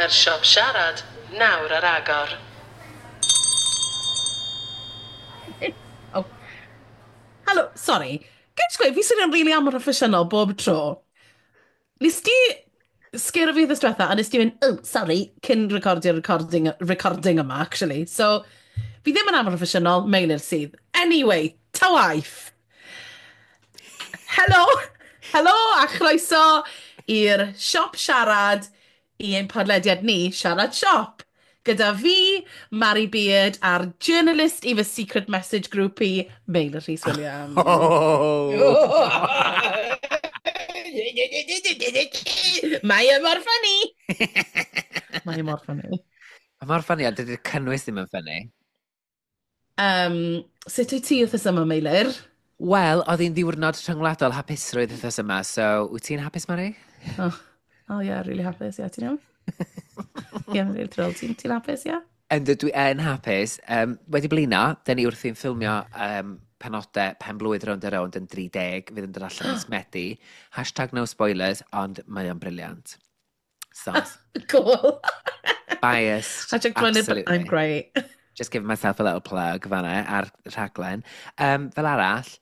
Mae'r siop siarad nawr ar agor. Oh. Helo, sorry. Ga'i jyst gweud, fi swnio'n rili amhroffesiynol bob tro. Nes di sgero fi wythnos diwetha, a nes di mynd, "Oh, sorry," cyn recordio'r recording, recording yma, actually. So, fi ddim yn amhroffesiynol, Meilir sydd. Anyway, ta waith. Helo! Helo a chroeso i'r siop siarad i ein podlediad ni, Siarad Siop. Gyda fi, Mari Beard, a'r journalist i fy secret message groupie, Meilir Rhys Williams. Oh! Mae e mor ffynnu! Mae e mor ffynnu. Mae mor ffynnu, ond dydy'r cynnwys ddim yn ffynnu. Sut wyt ti wythnos yma, Meilir? Wel, oedd hi'n ddiwrnod rhyngwladol hapusrwydd wythnos yma, so wyt ti'n hapus, Mari? Oh yeah, really hapus, yeah, ti'n iawn? Yeah, really thrilled. Ti'n hapus, yeah? Yndw, dwi yn hapus. Wedi blino, dyn ni wrthi'n ffilmio penodau pen blwydd Rownd a Rownd yn 30, fydd yn dod allan mis Medi. #NoSpoilers, ond mae o'n brilliant. So, Cool. Biased, #Brilliant, absolutely. I'm great. Just giving myself a little plug fanna ar rhaglen. Fel arall,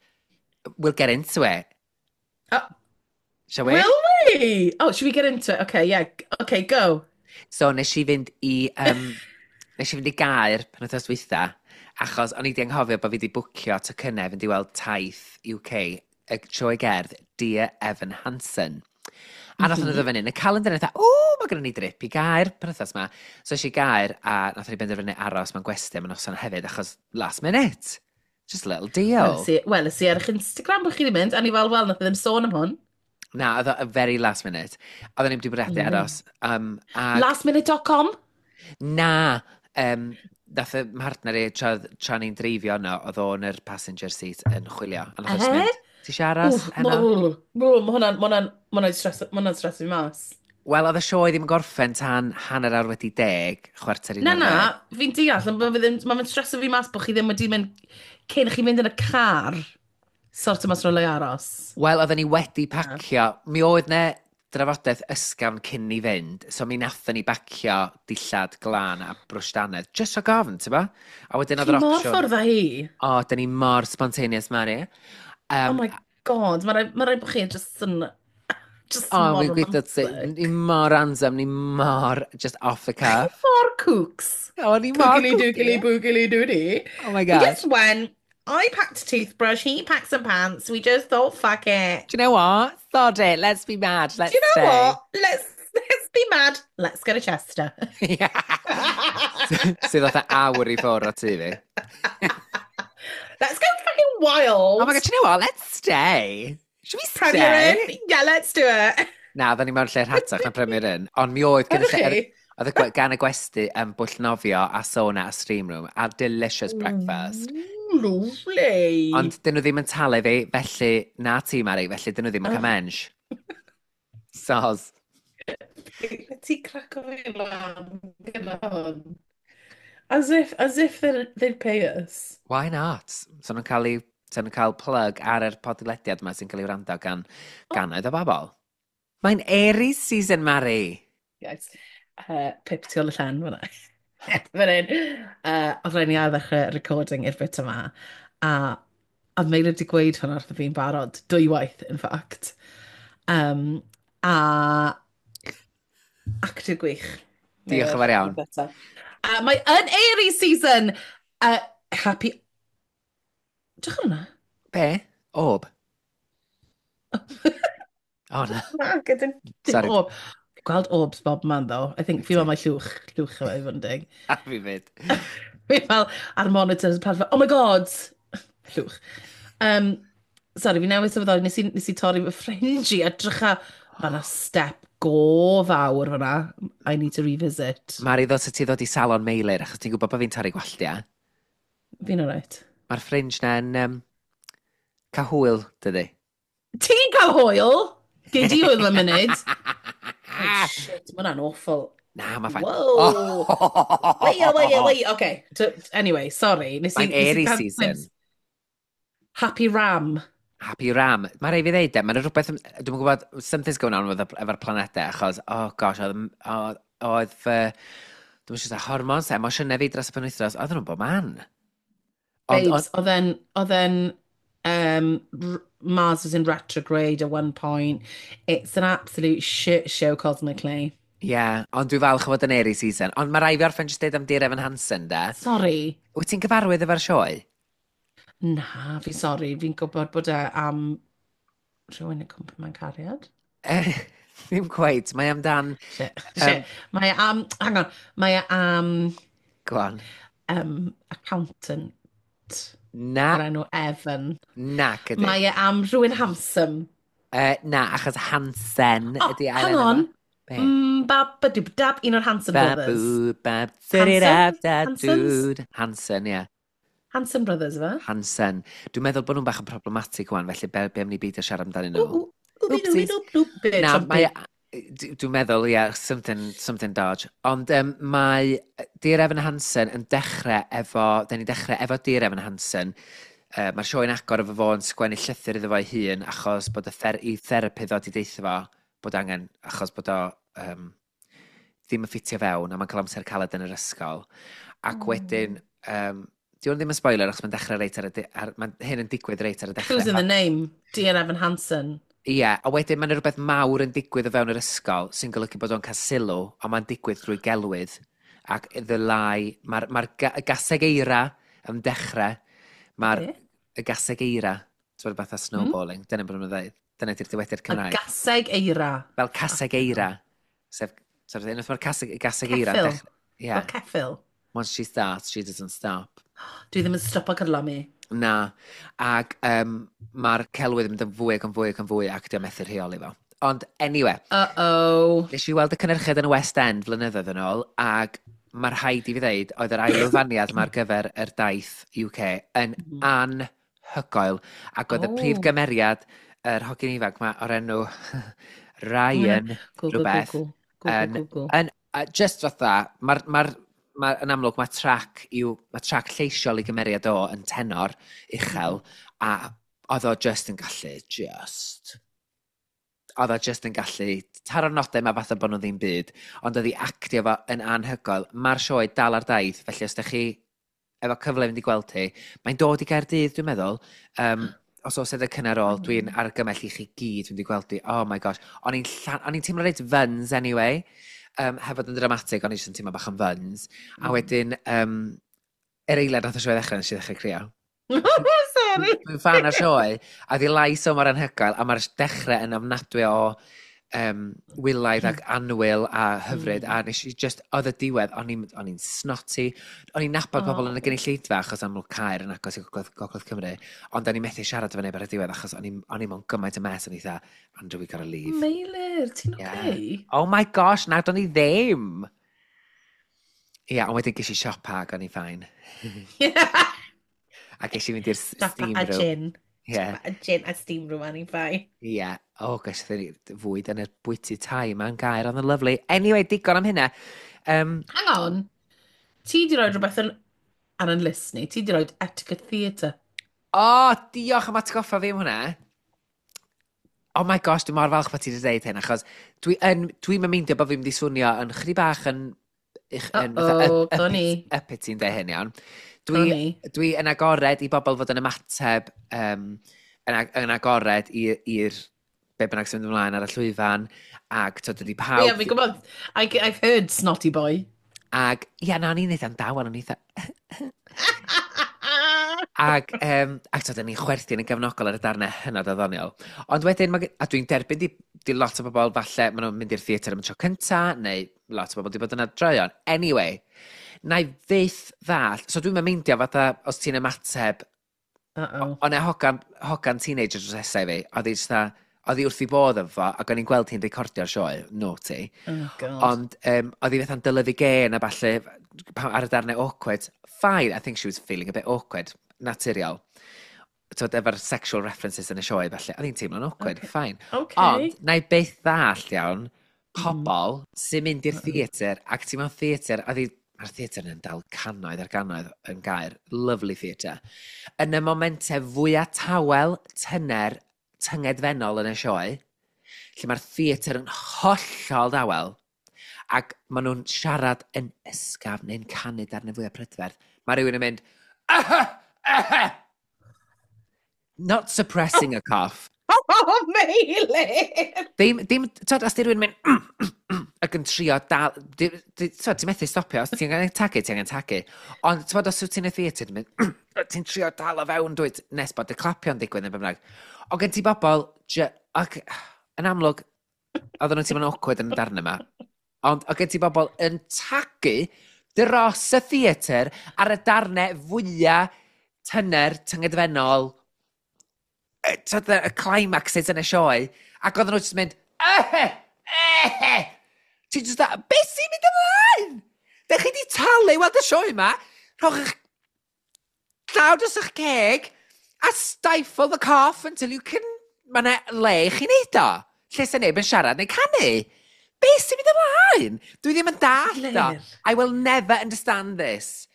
we'll get into it. Oh. Shall we? Will we? Oh, should we get into it? Okay, yeah. Okay, go. So, nes i fynd i Gaer penwythnos dwytha, achos o'n i wedi anghofio bod fi wedi bwcio tocynnau fynd i weld taith UK, y sioe gerdd Dear Evan Hansen. A nath nhw ddod fyny yn y calendar, a o, mae gennym ni drip i Gaer penwythnos yma. So es i Gaer, a nath ni benderfynu aros mewn gwesty am y noson hefyd, achos last minute. Just a little deal. Wel, es i ar eich Instagram bod chi wedi mynd, a ni fel, wel, nath e ddim sôn am hwn. Na, oedd o very last minute. Oedden ni'n wedi bwriadu aros. Lastminute.com? Na, nath y mhartner i, tra ni'n dreifio yno, oedd o'n yr passenger seat yn chwilio. A nath o just Eh? mynd, "Ti eisiau aros Wff, heno?" Ma' hwnna'n stress fi mas. Wel, oedd y sioe ddim yn gorffen tan 10:30, 10:45. Na, fi'n deall, ond ma' fe'n streso fi mas bod chi ddim wedi mynd, cyn chi mynd yn y car, sort o mas rhywle i aros. Wel, oedden ni wedi pacio. Mi oedd 'ne drafodaeth ysgafn cyn ni fynd, so mi nathon ni bacio dillad glân a brwsh dannedd, just rhag ofn, ti'n bo? A wedyn oedd Chi yr mor opsiwn. ffordd â hi. O, da ni mor spontaneous, Mari. Oh my God, ma raid bod chi just O, mor fi'n gweithio ti, romantic. ni mor random, ni mor just off the cuff. Mor kooks. O, ni mor Kookily dookily kooky. boogily doody. Oh my We God. just went, I packed a toothbrush, he packed some pants, we just thought, "Fuck it." Do you know what? Sod it, let's be mad, let's Do you know stay. what? Let's be mad. Let's go to Chester. Yeah. Sydd fatha awr i ffwrdd o tŷ fi. Let's go fucking wild. Oh my God, do you know what? Let's stay. Should we stay? Premier Inn? Yeah, let's do it. Na, oedden ni mewn lle rhatach na Premier Inn. Ond mi oedd gyda Ydych lle, chi? oedd gan y gwesty yn bwll nofio a sauna a steam room a delicious breakfast. Ooh, lovely. Ond dyn nhw ddim yn talu fi, felly na ti, Mari, felly dyn nhw ddim yn cael mensh. Soz. Ti craco fi lan gyda hwn. As if they'd pay us. Why not? So nhw'n cael plug ar yr podlediad yma sy'n cael ei wrando gan gannoedd o bobl. Mae'n Aries season, Mari. Yes. Pip tu ôl y llen fyna. Fan hyn. Oedd rhaid ni ar ddechrau recording i'r bit yma. A oedd Meilir wedi gweud hwnna wrtho fi'n barod. Dwywaith, in fact. A actio gwych. Diolch yn fawr iawn. A mae yn Aries season! Happy. Drych ar hwnna. Be? Orb? O, na. Na, gyda dim Sorry. orb. Gweld orbs bob man, though. I think fi fel mae llwch efo i fod yn deg. A fi fyd. Fi fel ar monitors, pan fel, "Oh my God!" Llwch. Sorry, fi newydd sylweddoli, nes i torri fy fringe i a drycha, mae yna step go fawr fyna. I need to revisit. Mari, ddod ti ddod i salon Meilir, achos ti'n gwybod bod fi'n torri gwalltiau. Fi'n alright. Mae'r fringe na'n cael hwyl, dydy. Ti'n cael hwyl? Gei di hwyl am munud. Oh, shit, mae hwnna'n awful. Na, mae fine. Whoa. Wait, oh, wait, oh, wait, okay. Anyway, sorry. Mae'n Nes i Aries cael season. glimpse. Happy Ram. Happy Ram. Mae rhaid fi ddeud, e, mae'n rhywbeth, dwi'n gwybod, something's going on with efo'r planedau, achos, oh gosh, oedd, oh, Oedd fy, dwi'n siŵr, hormones, emosiynau fi dros y penwythnos, oedden nhw'n bob man. Ond, Babes, oedd e'n, Mars was in retrograde at one point. It's an absolute shit show cosmically. Ie, yeah, ond dwi'n falch o fod yn Aries season. Ond mae rhaid fi orffen jyst deud am Dear Evan Hansen, de. Sorry. Wyt ti'n gyfarwydd efo'r sioe? Na, fi sorry. Fi'n gwybod bod e am rhywun yn cwmpa mewn cariad. Ddim cweit. Mae amdan. Shit. Shit. Mae e am, hang on, mae e am Go on. Accountant Na, o'r enw Evan. Na, gyda. Mae e am rhywun handsome. Na, achos Hansen Oh, ydy ail hang enw on. fo. Be? Ba, ba, dw, dab, un o'r Hanson Brothers. Ba, boo, ba, Hanson? da, Hansons? dude. Hansen, ie. Yeah. Hanson Brothers, fe? Hansen. Dwi'n meddwl bod nhw'n bach yn problematic wan, felly be am ni beidio siarad amdanyn nhw? Ww, ww, Oopsies. ww, ww, Na, mae... Dwi'n meddwl, ie, yeah, something dodge. Ond mae Dear Evan Hansen yn dechrau efo... Da ni'n dechrau efo Dear Evan Hansen. Mae'r sioe'n agor efo fo yn sgwennu llythyr iddo fo ei hun achos bod i therapydd o di deutha fo bod angen, achos bod o ddim yn ffitio fewn a mae'n cael amser caled yn yr ysgol. Ac wedyn, di hwn ddim yn spoiler achos mae'n dechrau reit ar y... Mae hyn yn digwydd reit ar y dechrau. Clues in the name. Dear Evan Hansen. Ie, a wedyn mae'n rhywbeth mawr yn digwydd o fewn yr ysgol sy'n golygu bod o'n cael sylw, ond mae'n digwydd drwy gelwydd. Ac the lie, mae'r ma gaseg eira yn dechrau, mae'r Be? y gaseg eira, ti'n bod, fatha snowballing, dyna bod nhw'n dweud, dyna di'r dywediad Y Cymraeg. gaseg eira. Fel caseg eira, sef unwaith mae'r gaseg eira yn Ceffyl. dechrau. Fel Yeah. ceffyl. Once she starts, she doesn't stop. Dwi ddim yn stopo cyrlo. Na, ac mae'r celwydd yn mynd yn fwy ac yn fwy ac yn fwy ac di o'n methu rheoli fo. Ond anyway, Uh-oh. nes i weld y cynhyrchiad yn y West End flynyddoedd yn ôl, ac mae'r rhaid i fi ddeud, oedd yr ailwyfaniad ma ar gyfer yr daith UK yn anhygoel. Ac oedd y prif gymeriad, yr hogyn ifanc ma o'r enw Ryan, Google, rhywbeth, Google, Google, Google. yn, just fatha, mae'r ma ma, yn amlwg mae trac lleisiol i gymeriad o yn tenor uchel, a oedd o just yn gallu, just, oedd o just yn gallu taro'r nodau ma fatha bod nhw ddim byd, ond oedd i actio fo yn anhygoel. Mae'r sioe dal ar daith, felly os ydych chi efo cyfle i fynd i gweld hi, mae'n dod i Gaerdydd, dwi'n meddwl. Os oes edrych cynnar ôl, dwi'n argymell i chi gyd fynd i gweld hi. Oh my gosh. O'n i'n teimlo reit fyns anyway. Heb fod yn dramatig, o'n i jyst yn teimlo bach yn fyns. A wedyn, yr eiliad nath y sioe ddechrau, nes i ddechrau crio. Sorry. Dwi'n fan o'r sioe, a ddi lais o mor anhygoel, a mae'r dechrau yn ofnadwy o wylaidd ac annwyl a hyfryd, a nes i just, oedd y diwedd, o'n i'n snotty, o'n i'n nabod pobl yn y gynulleidfa, achos amlwg Caer yn agos i Gogledd Cymru, ond o'n i'n methu siarad efo neb ar y diwedd, achos o'n i mewn gymaint o mess, o'n i dda, "Andrew, we gotta leave." Meilir, ti'n Yeah. okay? Oh my gosh, na, do'n i ddim! Ie, yeah, ond wedyn ges i siopa ac o'n i'n fine. A ges i fynd i'r steam A room. gin. Yeah. A gin a steam room, o'n i'n fine. Ie. Yeah. Oh, gosh, ni fwyd yn y bwyty Thai ma'n Gaer, oedd yn lovely. Anyway, digon am hynna. Hang on. Ti di roi rhywbeth yn, ar yn list ni. Ti di roi Etiquette Theatre. Oh, diolch am atgoffa fi am hwnna. Oh my gosh, dwi'n mor falch bod ti wedi dweud hyn, achos dwi'n dwi meindio bod fi'n mynd i swnio yn chydig bach yn fatha Uh-oh, go ni. uppity yn dweud hyn, iawn. Go Dwi, ni. dwi yn agored i bobl fod yn ymateb, yn agored i'r be bynnag sy'n mynd ymlaen ar y llwyfan, ac to, dydy pawb. Ie, yeah, fi'n gwybod. I've heard Snotty Boy. Ac, ia, na, o'n i'n eitha dawel, o'n eitha. Ac to, ni'n chwerthin yn gefnogol ar y darnau hynod o ddoniol. Ond wedyn, a dwi'n derbyn di lot o bobl, falle, maen nhw'n mynd i'r theatr am y tro cynta, neu lot o bobl di bod yna droion. Anyway, na i fyth ddall, so dwi'n meindio fatha, os ti'n ymateb, Uh-oh. o'n e hogan teenager dros nesau fi, oedd hi jyst oedd hi wrth i bodd efo, ac o'n i'n gweld hi'n recordio'r sioe, naughty. Oh, God. Ond oedd hi fatha'n dylyfu gen a falle ar y darnau awkward. Fine, I think she was feeling a bit awkward. Naturiol. Twyd, efo'r sexual references yn y sioe, falle. Oedd hi'n teimlo'n awkward, fine. Ond, na i byth ddall iawn, pobl sy'n mynd i'r theatr, ac ti mewn theatr, oedd hi, mae'r theatr yn dal cannoedd ar gannoedd yn Gaer, lovely theatr. Yn y momentau fwyaf tawel, tyner, tyngedfennol yn y sioe, lle mae'r theatr yn hollol dawel, Ac maen nhw'n siarad yn ysgafn neu'n canu darnau fwyaf prydferth. Mae rhywun yn mynd, "Aha! Aha!" Not suppressing a cough. Oh, Meilir! Ddim, dim, twod, os di rhywun mynd, ac yn trio dal, twod, ti'n methu stopio, os ti'n angen tagu, ti'n angen tagu. Ond, twod, os wyt ti'n y theatr, ti'n mynd, ti'n trio dal o fewn, dwyt, nes bod y clapio'n digwydd yn bynnag. Ond gen ti bobl, ac yn amlwg, oedden nhw'n teimlo'n awkward yn y darn yma, ond oedd gen ti bobl yn tagu dros y theatr ar y darnau fwyaf tyner, tyngedfennol, tyd, y climaxes yn y sioe, ac oedden nhw jyst yn mynd, "Ehe, ehe." Ti'n just da, beth sy'n mynd ymlaen? Dych chi di talu weld y sioe yma? Rhowch eich llaw dros eich ceg a stifle the cough until you can. Mae yna le i chi wneud o. Lle sy'n neb yn siarad neu canu. Beth sy'n mynd ymlaen? Dwi ddim yn dallt o. Meilir. I will never understand this.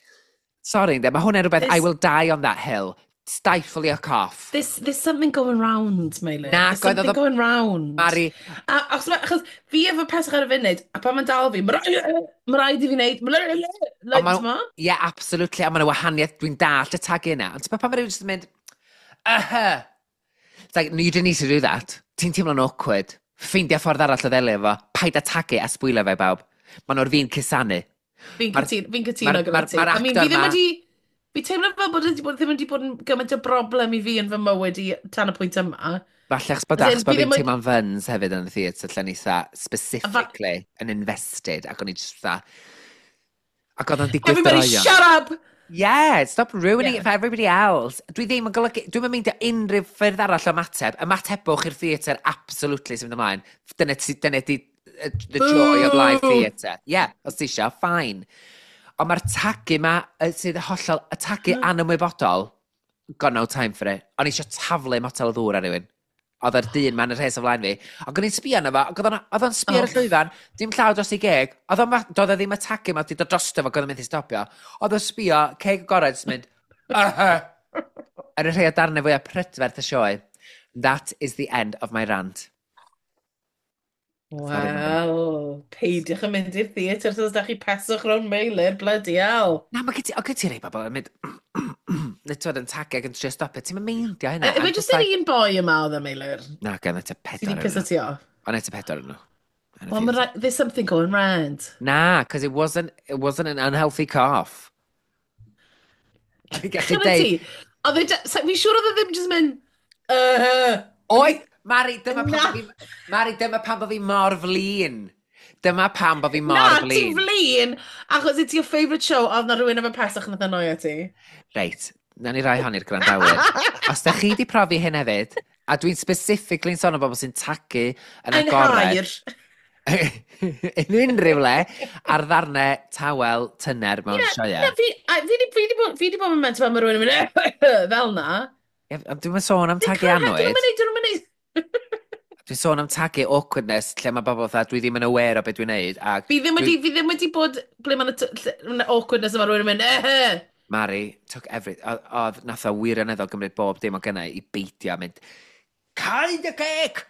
Sorry, ynddo, mae hwnna'n rhywbeth, I will die on that hill. Stifle your cough. There's something going round, Meilir. Na, There's oedd something going round. Mari, A, achos fi efo pesach ar y funud, a pan mae'n dal fi, mae rhaid i fi wneud, like, Ond ma? Yeah, absolutely. A mae'n wahaniaeth, dwi'n dallt y tagu yna. Ond ti'n pan mae rhywun jyst yn mynd, "Uh-huh." It's like, no, you didn't need to do that. Ti'n teimlo'n awkward. Ffeindia ffordd arall o ddelio efo. Paid â tagu a sbwylio fe i bawb. Maen nhw'r fi'n cusanu. Fi'n cytuno, fi'n cytuno gyda ti. Ma'r I mean, actor fi ddim ma wedi. Fi teimlo fel bod, ddim wedi bod yn gymaint o broblem i fi yn fy mywyd i tan y pwynt yma. Falle achos bod As in, achos bod fi fi'n ddim teimlo'n fyns hefyd yn y theatr, lle ni eitha specifically yn invested, ac o'n i just fatha. Ac oedd o'n digwydd Everybody droeon. shut up! Yeah, stop ruining it for everybody else. Dwi ddim yn golygu. Dwi'n mynd unrhyw ffyrdd arall o ymateb. Ymatebwch i'r theatr absolutely sy'n mynd ymlaen. Dyna di the joy of live Boo! theatre. Yeah, os ti isio, fine. Ond mae'r tagu ma, sydd hollol, y tagu anymwybodol, got no time for it. O'n i eisiau taflu motel o ddŵr ar rhywun. Oedd yr dyn ma'n y rhes o flaen fi. Ac o'n i'n sbio arno fo, ac oedd o'n sbio ar y llwyfan, dim llaw dros ei geg. Oedd o'n, doedd o ddim y tagu ma, wedi dod drosto fo, ac oedd o'n mynd i stopio. Oedd o'n sbio, ceg agored, jyst mynd, "Aha." Ar y rhai o darnau fwyaf prydferth y sioe. That is the end of my rant. Sorry, Mari. Wel, peidiwch yn mynd i'r theatr os ydych chi peswch rownd Meilir, bloody hell. Na, mae gen ti, o, gen ti rei bobl yn mynd, neu ti'n yn tagu ac yn trio stopio. Ti'n meindio hynna. Efe I'm jyst just yr like un boi yma oedd e, Meilir? Na, gen i tua Sydd pedwar wedi piso yn nhw. ti off? Ond eto pedwar yn nhw. Yn y Well, ma' theatr. there's something going round. Na, because it wasn't an unhealthy cough. Dwi'n gallu Chymryd deud, ti? Oedd e, fi'n siŵr oedd e ddim jyst mynd, Oedd, Mari, dyma pam Na. bod fi, Mari, dyma pam bod fi mor flin. Dyma pam bod fi mor Na, flin. ti'n flin, achos it's your favourite show, oedd na rhywun efo pesach nath annoio ti. Reit, na ni rai hon i'r gwrandawyr. Os da chi di profi hyn hefyd, a dwi'n specifically'n sôn am bobl sy'n tagu yn Yn agored, hair. yn unrhyw le, ar ddarnau tawel tyner mewn Na, sioeau. fi di bod yn meant pan mae rhywun yn mynd fel na. Ie, ond dwi'm yn sôn am tagu Dyn annwyd. nhw'n mynd. Dwi'n sôn am tagu awkwardness, lle mae bobl fatha, dwi ddim yn aware o beth dwi'n neud. Ac Fi ddim wedi bod ble mae'n awkwardness yma rhywun yn mynd, eh. Mari took every. Oedd nath o wirioneddol gymryd bob dim o gynnau i beidio a mynd, "Cau dy geg!"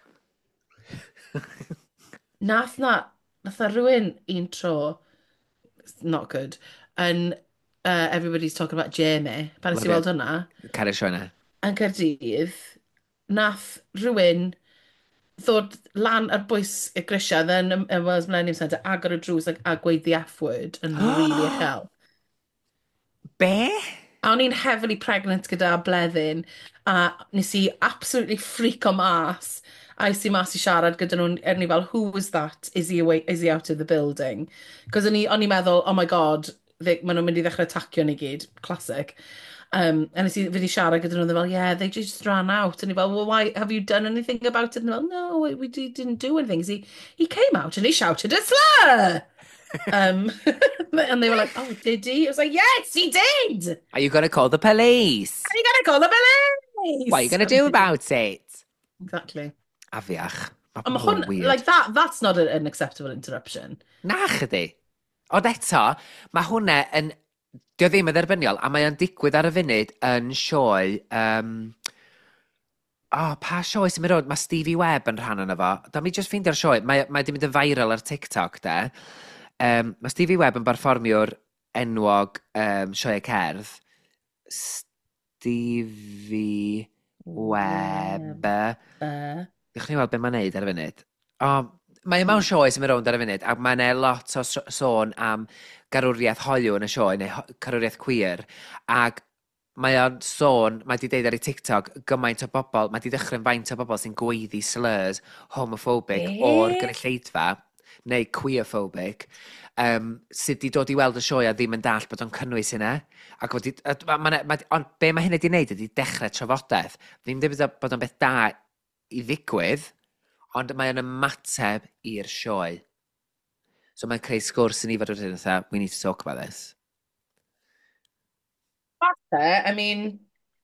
Nath na rhywun un tro, it's not good, yn Everybody's Talking About Jamie, pan nes i Love it. weld hwnna, Caru'r sioe na. yn Caerdydd, nath rhywun ddod lan ar bwys y grisiau yn y Wales Millennium Centre, agor y drws a gweud the F word yn really uchel. Be? A o'n i'n heavily pregnant gyda Bleddyn, a nes i absolutely freako mas. A es i mas i siarad gyda nhw'n, er ni fel, "Who was that? Is he away, is he out of the building?" Cos o'n i'n meddwl, oh my God, maen nhw'n mynd i ddechrau atacio ni gyd. Classic. A nes i fynd i siarad gyda nhw, they're fel, "Yeah, they just ran out." And ni fel, "Well, why, have you done anything about it?" And they're fel, "No, we didn't do anything. He came out and he shouted a slur." And they were like, "Oh, did he?" I was like, "Yes, he did." Are you gonna call the police? Are you gonna call the police? What are you gonna do about it? Exactly. Afiach. Mae Ond ma' pobl yn hwn, weird. like that's not an acceptable interruption. Na chdi. Ond eto, mae hwnna yn. Dio ddim yn dderbyniol, a mae o'n digwydd ar y funud yn sioe. Oh, pa sioe sy'n mynd rownd? Mae Stevie Webb yn rhan yna fo. Da mi just ffeindio'r sioe. Mae di mynd yn viral ar TikTok, de. Mae Stevie Webb yn berfformiwr enwog sioe cerdd. Stevie Webb. Dewch ni weld beth mae'n neud ar y funud. O, mae e mewn sioe sy'n mynd rownd ar y funud, ac mae'n e lot o sôn am garwriaeth hoyw yn y sioe, neu carwriaeth queer, ac mae o'n sôn, mae di deud ar ei TikTok, gymaint o bobl, mae di dychryn faint o bobl sy'n gweiddi slurs homophobic o'r gynulleidfa, neu queerphobic, sydd di dod i weld y sioe a ddim yn dall bod o'n cynnwys hynna. Ac wedi, ond be mae hynny di wneud ydy dechrau trafodaeth. Ddim dweud bod o'n beth da i ddigwydd, ond mae o'n ymateb i'r sioe. So mae'n creu sgwrs i ni fod wedyn fatha, "We need to talk about this." Falle, I mean.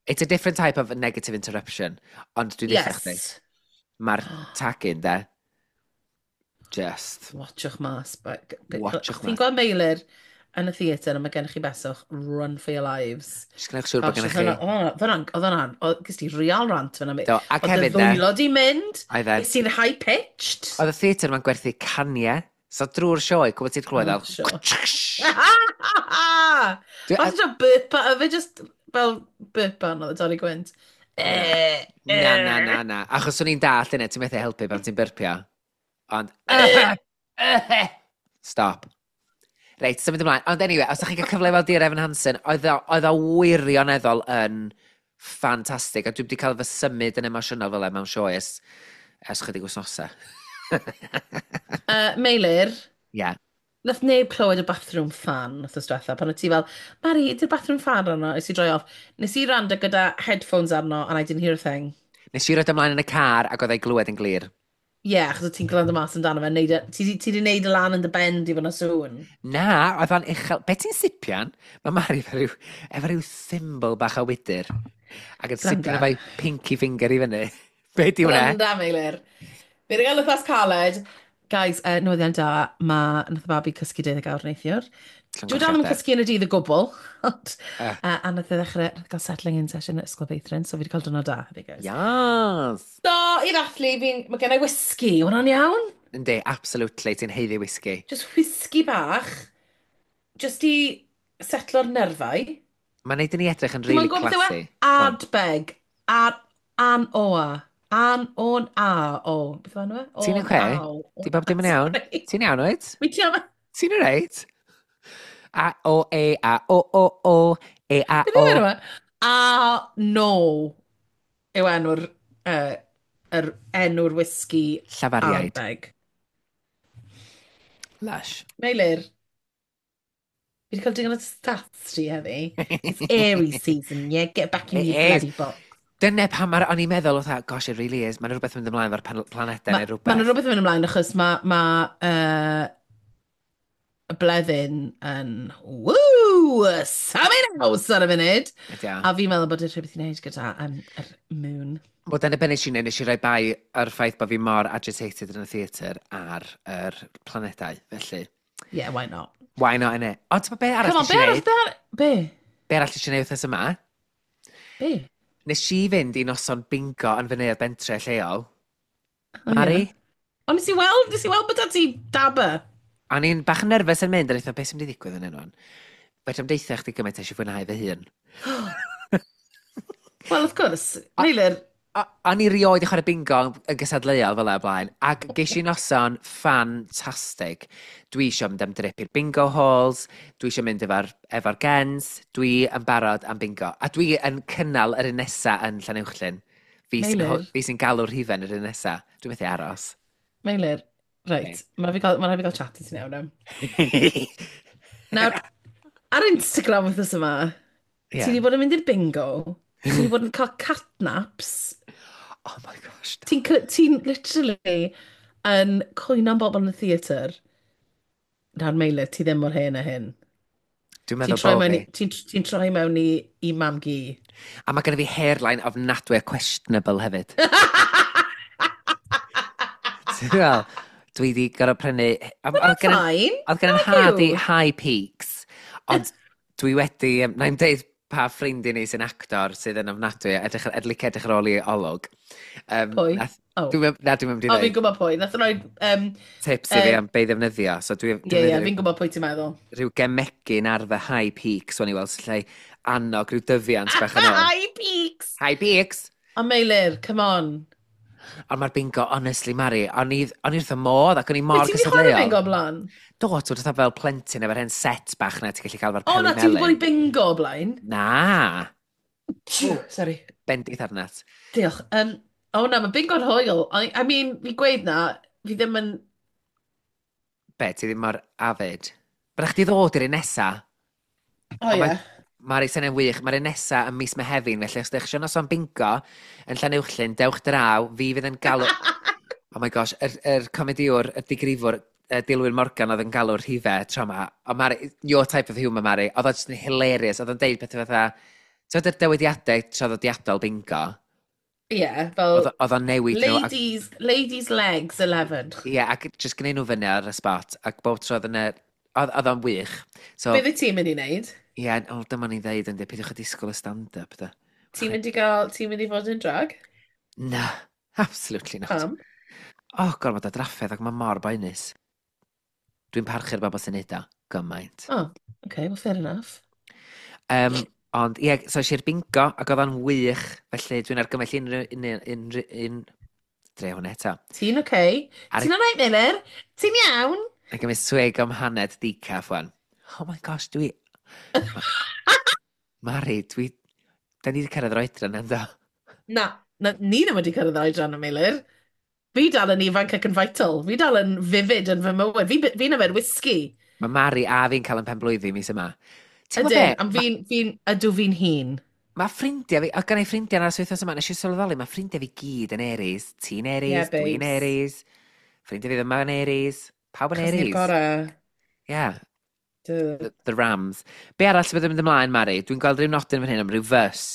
It's a different type of negative interruption, ond dwi'n yes. chdi. Mae'r tagging, de. Just. Watchwch mas. Watchwch Chi'n mas. gweld Meilir yn y theatr a mae gennych chi beswch, run for your lives. Just gwnewch siŵr bod gennych chi. Oedd hwnna'n, oedd hwnna'n, gys ti real rant fyna. Do, ac Oedd y hefyd, de. ddwylo di mynd. Oedd e. Is ti'n high-pitched. Oedd y theatr ma'n gwerthu caniau. So drwy'r sioe, gwybod ti'n clywed Oh, fel sure. Oedd e'n burp, oedd e just fel burp on oedd y dorri gwynt. Na, na, na, na. Achos o'n i'n dallt yna, ti'n methu helpu pan ti'n byrpio. Ond stop. Reit, symud ymlaen. Ond anyway, os ydych chi'n cael cyfle i weld Dear Evan Hansen, oedd o wirioneddol yn ffantastig. A dwi wedi cael fy symud yn emosiynol fel e mewn sioe ers chydig wythnosau. Meilir, nath neb clywed y bathroom fan wrth diwetha, pan oedd ti fel, "Mari, ydy'r bathroom fan arno?" Nes i droi off. Nes i rando gyda headphones arno and I didn't hear a thing. Nes i roed ymlaen yn y car ac oedd ei glywed yn glir. Ie, yeah, achos oedd ti'n gwrando mas amdano fe. Ti di neud y lan yn dy ben di fod na sŵn. Na, oedd o'n uchel. Be ti'n sipian? Mae Mari efo rhyw thimble bach o wydyr. Ac yn sipian Gwranda. efo'i pinky finger i fyny. Be di hwnna? Gwranda, Meilir. Fi wedi cael wythnos caled. Guys, newyddion da, mae nath y babi cysgu 12 awr neithiwr. Dwi dal yn Llongyfarchiadau. cysgu yn y dydd o gwbl. Ond, a nath e ddechrau, nath e gael settling in session at ysgol feithrin, so fi wedi cael diwrnod da hefyd, guys. Yes! So, i ddathlu, mae gen i whisky, hwnna'n iawn? Yndi, absolutely, ti'n haeddu whisky. Just whisky bach, just i setlo'r nerfau. Mae'n neud i ni edrych yn Dwi'm really yn gwybod beth yw e? classy. Go on. Ardbeg. Ar, an oa. An, o'n, a, o. Beth yw enw e? Ti'n O'n, oce? aw. Di bob dim yn iawn? Sorry. Ti'n iawn, wyt? Mi ti am Ti'n alright? A, O, E, A, O, O, O, E, A, Beth yw O. enw e? A, no. Yw enw'r, yr enw'r whisky Llafariaid. Ardbeg. Lush. Meilir, fi wedi cael digon o stats ti heddi. It's Aries season, yeah? Get back in It your is. bloody box. Dyna pam mae'r, o'n i'n meddwl, oedd, gosh, it really is. Mae'n rhywbeth yn mynd ymlaen efo'r planedau neu Mae rhywbeth. ma rhywbeth yn mynd ymlaen achos mae ma, y bleddyn yn woo, something else ar y funud. Ydy o. A fi'n meddwl bod e rhywbeth i wneud gyda yr moon. Wel, dyna be nes i wneud, nes i roi bai ar ffaith bod fi mor agitated yn y theatr ar yr planedau, felly. Yeah, why not? Why not, innit? Ond ti'n be arall Come on, nes be i arall, wneud? be arall, be? Be arall nes i wneud wythnos yma? Be? Nes i fynd i noson bingo yn fy neuadd bentre lleol. O, Mari? ie. Ond nes i weld bod ti dabber. O'n i'n bach yn nerfus yn mynd, a eitha beth sy'n mynd i ddigwydd yn enw. Fedra i'm deutha chdi gymaint eisiau fwynhau fy hun. Well, of course, Meilir, O'n i rioed i chwarae bingo yn gysadleuol fel 'na o blaen, ac ges i noson ffantastig. Dwi eisiau mynd am drip i'r bingo halls, dwi eisiau mynd efo gens, dwi yn barod am bingo. A dwi yn cynnal yr un nesa yn Llanuwchllyn. Fi sy'n Meilir. fi sy'n galw'r rhifen yr un nesa. Dwi'n methu aros. Meilir, reit, mae rhaid fi gael chat i ti nawr. Nawr, ar Instagram wythnos yma, ti wedi bod yn mynd i'r bingo, ti wedi bod yn cael catnaps, Oh my gosh. ti'n literally yn cwyno am bobl yn y theatr. Nawr, Meilir, ti ddim mor hen a hyn. Dwi'n Ti'n meddwl troi bod mewn fi. i, ti'n troi mewn i mam-gu. A mae gennym fi hairline ofnadwy a questionable hefyd. Ti'n fel, dwi wedi gorfod prynu Oedd gen Fine. oedd gen Nag nhad i yw. high peaks, ond dwi wedi na i'm deud pa ffrind i ni sy'n actor sydd yn ofnadwy, edrych, edrych, edrych ar ôl i olwg. Pwy? Nath, Oh. Dwi'n na, dwi'n mynd i O, fi'n ddeud gwybod pwy. Nath roi... tips i fi am be i ddefnyddio. So dwi'n Ie, ie, defnyddio fi'n gwybod pwy ti'n meddwl. rhyw gemegyn ar fy high peaks, o'n i weld, sy'n lle annog rhyw dyfiant bach yn ôl. High peaks! High peaks! O, Meilir, come on. Ond mae'r bingo, honestly, Mari, o'n i wrth y modd ac o'n i mor Wyt ti wedi chwarae gystadleuol. bingo o blaen? Do, ti'n fatha fel plentyn efo'r hen set bach na ti'n gallu cael efo'r O, peli na, ti wedi bod i melyn. bingo o blaen? Na, Sorry. bendith arnat. Diolch. O na, mae bingo'n hwyl. I mean, fi gweud na, fi ddim yn. Be, ti ddim mor avid. Byddech chdi ddod i'r un nesa. O Ond ie. Mae'r eisenau'n wych. Mae'r un nesa ym mis Mehefin, felly os ydych chi noson bingo yn Llanuwchllyn, dewch draw, fi fydd yn galw. Oh my gosh, yr comediwr, y digrifwr, y Dilwyn Morgan oedd yn galw'r rhifau tro yma. O Mari, your type of humour, Mari. Oedd o'n just yn hilarious. Oedd o'n deud pethau fatha. Ti'n yr dywediadau traddodiadol bingo? Ie, fel Oedd o'n newid nhw. Ac, ladies legs 11. ie, ac just gwneud nhw fyny ar y spot. Ac bob tro oedd yna. Oedd o'n wych. So, Beth wyt ti'n mynd i wneud? ie, yeah, o, dyma ni'n ddeud yn dweud, peidiwch â disgwyl y stand-up, da. Ti'n mynd i gael, ti'n mynd i fod yn drag? Na, absolutely not. Pam? Oh, gormod o drafferth ac mae mor boenus. Dwi'n parchu'r bobl sy'n neud o, gymaint. Oh, okay, well fair enough. Ond ie, so es i'r bingo ac oedd o'n wych, felly dwi'n argymell unrhyw, unrhyw, unrhyw, un, dre hwnna eto. Ti'n okay? Ar- Ti'n alright, Meilir? Ti'n iawn? Ac gymryd swig am haned decaf wan. Oh my gosh, dwi. Mari, dwi. Da ni wedi cyrraedd yr oedran ynddo. Na, na, ni ddim wedi cyrraedd oedran y Meilir. Fi dal yn ifanc ac yn vital. Fi dal yn vivid yn fy mywyd. Fi'n yfed whisky. Mae Mari a fi'n cael yn penblwyddi mis yma. Ti'n gwybod Ydyn, be? am fi'n, ydw fi'n hun. Mae ffrindiau fi, oedd gen i ffrindiau yn aros wythnos yma, nes i sylweddoli, mae ffrindiau fi gyd yn Aries. Ti'n Aries, Yeah, dwi'n babes. Aries, ffrindiau fi ddim yn Aries, pawb yn Achos ni'r Aries. gorau. Yeah, Duh. the Rams. Be arall sydd wedi mynd ymlaen, Mari? Dwi'n gweld rhyw nodyn fan hyn am rhyw fys.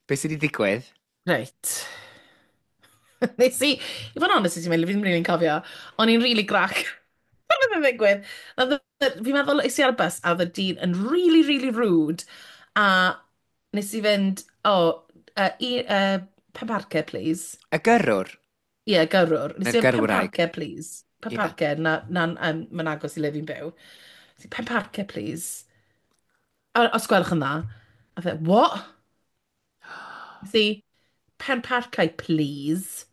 Be sydd wedi digwydd? Reit. Nes i, i fod yn honest, i ti'n meddwl, fi ddim rili'n cofio, o'n i'n really grac. Pan oedd yn ddigwydd. Fi'n meddwl, es i ar y bus, a oedd y dyn yn really, really rude, a nes i fynd, "Oh, Penparcau, please." Y gyrrwr? Ie, yeah, gyrrwr. Nes Neu'r i fynd, gyrwraig? "Penparcau, please. Penparcau," na, mae'n agos i le fi'n byw. Nes i, "Penparcau, please. O, os gwelwch yn dda." A fe, "What?" Nes i, "Penparcau, please."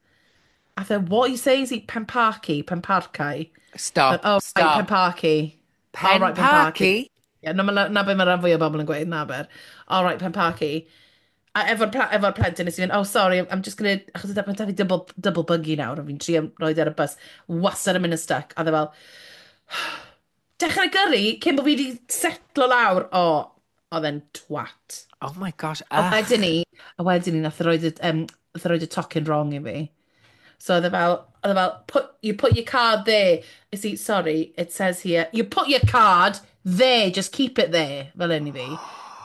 A fe, "What you say?" Is he, "Penparcau, Penparcau." Stop, "Oh, right, stop. Penparcau. Pen Oh, right, Parky? Ie, na be mae rhan fwy o bobl yn gweud, na ber. "All right, Penparcau." A efo'r plentyn nes i fynd, "Oh, sorry, I'm just gonna," achos mae da fi double buggy nawr, a fi'n trio roed ar y bus, wastad yn mynd yn stuck, a dde fel, dechrau gyrru, cyn bod fi wedi setlo lawr, o, oedd e'n twat. Oh my gosh, A ach. wedyn ni, nath e roid y tocyn wrong i fi. So oedd e fel, "You put your card there." You see, "Sorry, it says here, you put your card there, just keep it there." Fel un i fi.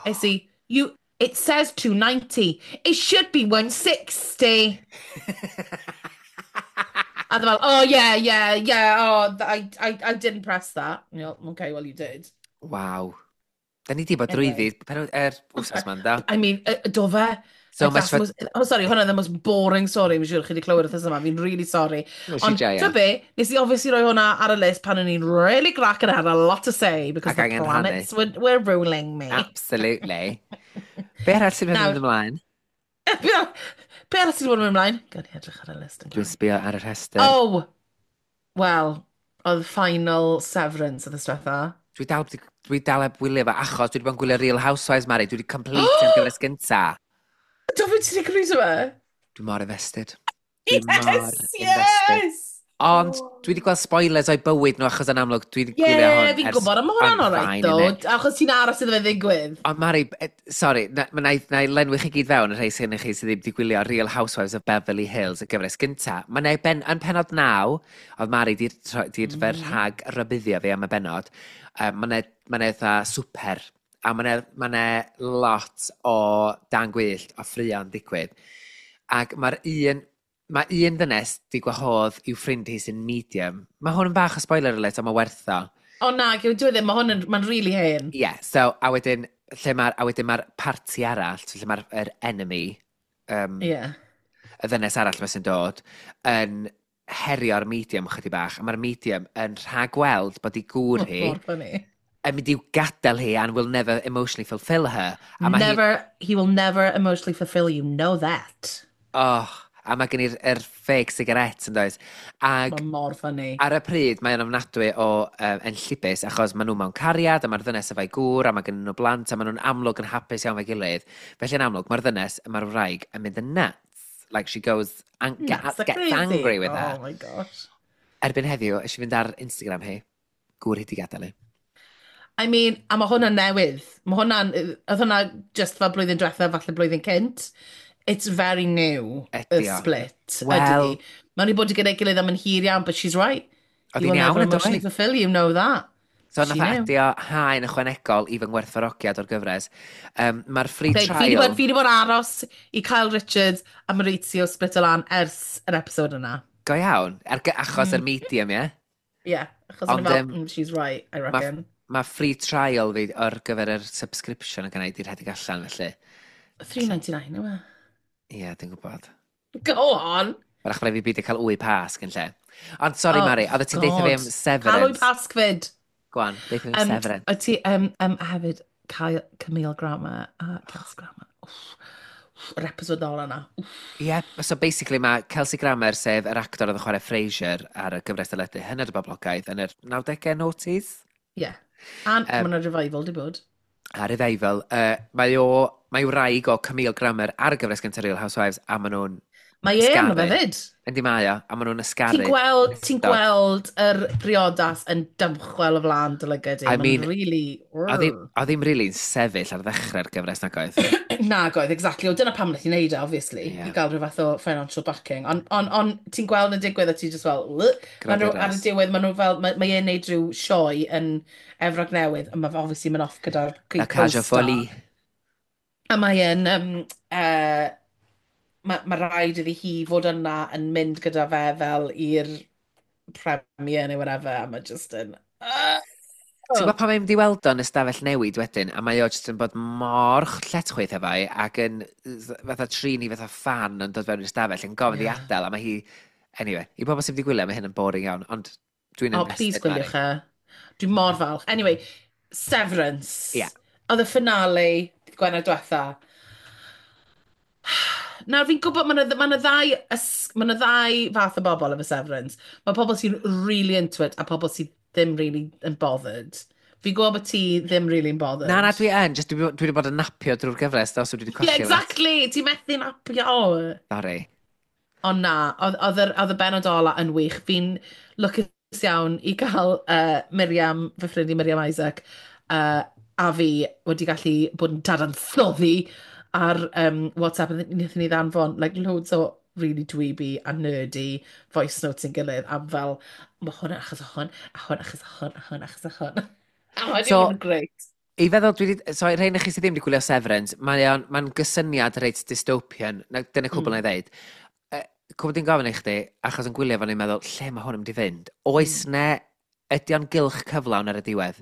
I see, "It says 290. It should be 160." A oedd e fel, "Oh yeah, oh, I didn't press that." And you're like, "Okay, well you did." Waw. Da ni di bod Anyway. drwyddi pen er wsos ma'n da. I mean, do fe? So Like, much that's for the most, oh, sorry, hwnna the most boring story, fi'n siŵr chi wedi clywed wrth yma, fi'n really sorry. Nes i Ond, joio. ti'n be, nes i obviously roi hwnna ar y list pan o'n i'n really grac and had a lot to say because Ac the angen planets were ruling me. Absolutely. Be arall sy'n mynd Nawr- ymlaen? Be arall sydd wedi bod yn mynd ymlaen? Gawn ni edrych ar y list. Dwi'n sbio ar y rhestr. Oh, well, oedd final severance oedd y diwetha. Dwi dal heb wylio fo achos dwi wedi bod yn gwylio Real Housewives, Mari. Dwi wedi complete am gyfres gynta. Do fe ti wedi gwrando fe? Dwi mor invested. Dwi mor Yes, invested. yes! Ond dwi wedi gweld spoilers o'i bywyd nhw achos yn amlwg dwi wedi Ie, gwylio hwn fi'n ers gwybod, ond mae hwnna'n I'm alright fine, though, innit? achos ti'n aros iddo fe ddigwydd. Ond Mari, sorry, na i lenwi chi gyd fewn y rhai sy'n chi sydd ddim wedi gwylio Real Housewives of Beverly Hills, y gyfres gynta. Mae na ben, yn penod 9, oedd Mari di, di rhag rybuddio fi am y benod, mae na eitha swper, a mae na lot o dan gwyllt o ffrio'n digwydd. Ac mae un ddynes di gwahodd i'w ffrind hi sy'n medium. Mae hwn yn bach o spoiler alert, ond mae werth o. O na, dwi ddim, mae hwn yn, mae'n really hen. Ie, yeah, so, a wedyn mae'r parti arall, so lle mae'r enemy, Ie. y ddynes arall 'ma sy'n dod, yn herio'r medium chydig bach, a mae'r medium yn rhagweld bod ei gŵr hi Mor funny. yn mynd i'w gadael hi and will never emotionally fulfill her. A mae hi, Never, he will never emotionally fulfill you, know that. Oh, a mae gen i'r er fake cigarette yn does. Ag Mae mor funny. ar y pryd mae'n ofnadwy o enllibus achos maen nhw mewn cariad a mae'r ddynes efo'i gŵr a mae gen nhw blant a maen nhw'n amlwg yn hapus iawn efo'i gilydd. Felly yn amlwg mae'r ddynes, mae'r wraig yn mynd yn nuts. Like she goes, Nuts, gets crazy. angry with her. Oh my gosh. Erbyn heddiw, eisiau fynd ar Instagram hi, gŵr hi di gadael hi. I mean, a mae hwnna'n newydd. Mae hwnna'n, oedd hwnna just fel blwyddyn diwethaf, falle blwyddyn cynt. It's very new, y Ydi o. split. Wel- Ydy. Mae'n wedi bod gyda'i gilydd am yn hir iawn, but she's right. Oedd You hi'n will iawn never yn emotionally dweud. fulfill you, know that. So She nath o knew. adio haen ychwanegol i fy ngwerthfawrogiad o'r gyfres. Mae'r free Babe, fi 'di trial. bod, fi 'di bod aros i Kyle Richards a Maurizio split o lan ers yr episode yna. Go iawn, achos yr medium, ie? Yeah, achos o'n Ond, i fel, she's right, I Mae reckon. ma free trial fi ar gyfer yr subscription yn gynnau di rhedeg allan, felly. 3.99, yw e? Ie, dwi'n gwybod. Go on! Wrach rhaid fi beidio cael wy pasg yn lle. Ond sori, Oh, Mari, oedd ti'n deitha fi am God. Cael wy Severance. pasg fyd. Go on, deitha fi am Severance. O ti, a hefyd, Kyle, Camille Grammer a Kelsey Grammer. Wff, wff, yr episode ola yna. Wff. Ie, yeah, so basically mae Kelsey Grammer, sef yr actor oedd yn chwarae Frasier ar y gyfres deledu hynod o boblogaidd yn yr 90au, noughties. Yeah. A um, mae yna revival di bod. A revival. Mae wraig o Camille Grammer ar y gyfres gyntaf Real Housewives, a maen nhw'n Mae e yno fe ysgaru. fyd. Yndi mae o, a maen nhw'n ysgaru. Ti'n gweld, ti'n Ystod. gweld yr briodas yn dymchwel o flaen dy lygad i. I Mae'n mean, really. Oedd hi'm really'n sefyll ar ddechrau'r gyfres nag oedd? Nag oedd, exactly. O, dyna pam wnaeth hi wneud e, obviously. Ie. I gael rhyw fath o financial backing. Ond on, on, ti'n gweld yn digwydd a ti just fel, "Ugh." Maen nhw, ar y Graduras. diwedd, maen nhw fel, mae e'n neud rhyw sioe yn Efrog Newydd, a mae fe obviously mynd off gyda'r La Cage aux co-star. Follies. A mae e'n, mae rhaid iddi hi fod yna yn mynd gyda fe fel i'r premiere neu whatever, a mae just yn. Ti'n gwybod pan mae'n mynd i weld o'n ystafell newid wedyn, a mae o jyst yn bod mor lletchwith efo hi, ac yn fatha trin i fatha fan yn dod fewn i'r ystafell, yn gofyn i adael, a mae hi. Anyway, i bobl sydd wedi gwylio, mae hyn yn boring iawn, ond dwi'n Oh, please invested, Mari. gwyliwch e. Dwi'n mor falch. Anyway, Severance. Ie. Oedd y finale, dydd Gwener diwetha. Nawr fi'n gwybod, ma' 'na ddau fath o bobl efo Severance. Mae pobl sy'n really into it a pobl sydd ddim really yn bothered. Fi'n gwybod bod ti ddim really yn bothered. Na, na, dwi yn, just dwi wedi bod yn napio drwy'r gyfres, do, so dwi wedi colli Yeah, lot. exactly! Ti'n methu napio. Sorry. Ond na, oedd y benod ola yn wych. Fi'n lwcus iawn i gael Miriam, fy ffrind i Miriam Isaac, a fi wedi gallu bod yn dadansoddi ar WhatsApp. A wnaethon ni ddanfon like, loads o really dweeby a nerdy voice notes yn gilydd am fel, mae hwn achos o hwn, a hwn achos o hwn, a hwn achos o hwn. A mae wedi So, bod yn great. I feddwl, so i rhain i chi sydd ddim wedi gwylio Severance, mae'n gysyniad reit dystopian, na, dyna cwbl na i ddeud. Cwbl di'n gofyn i chdi, achos yn gwylio fo'n i'n meddwl, lle mae hwn yn mynd i fynd? Oes ne, ydy o'n gylch cyflawn ar y diwedd?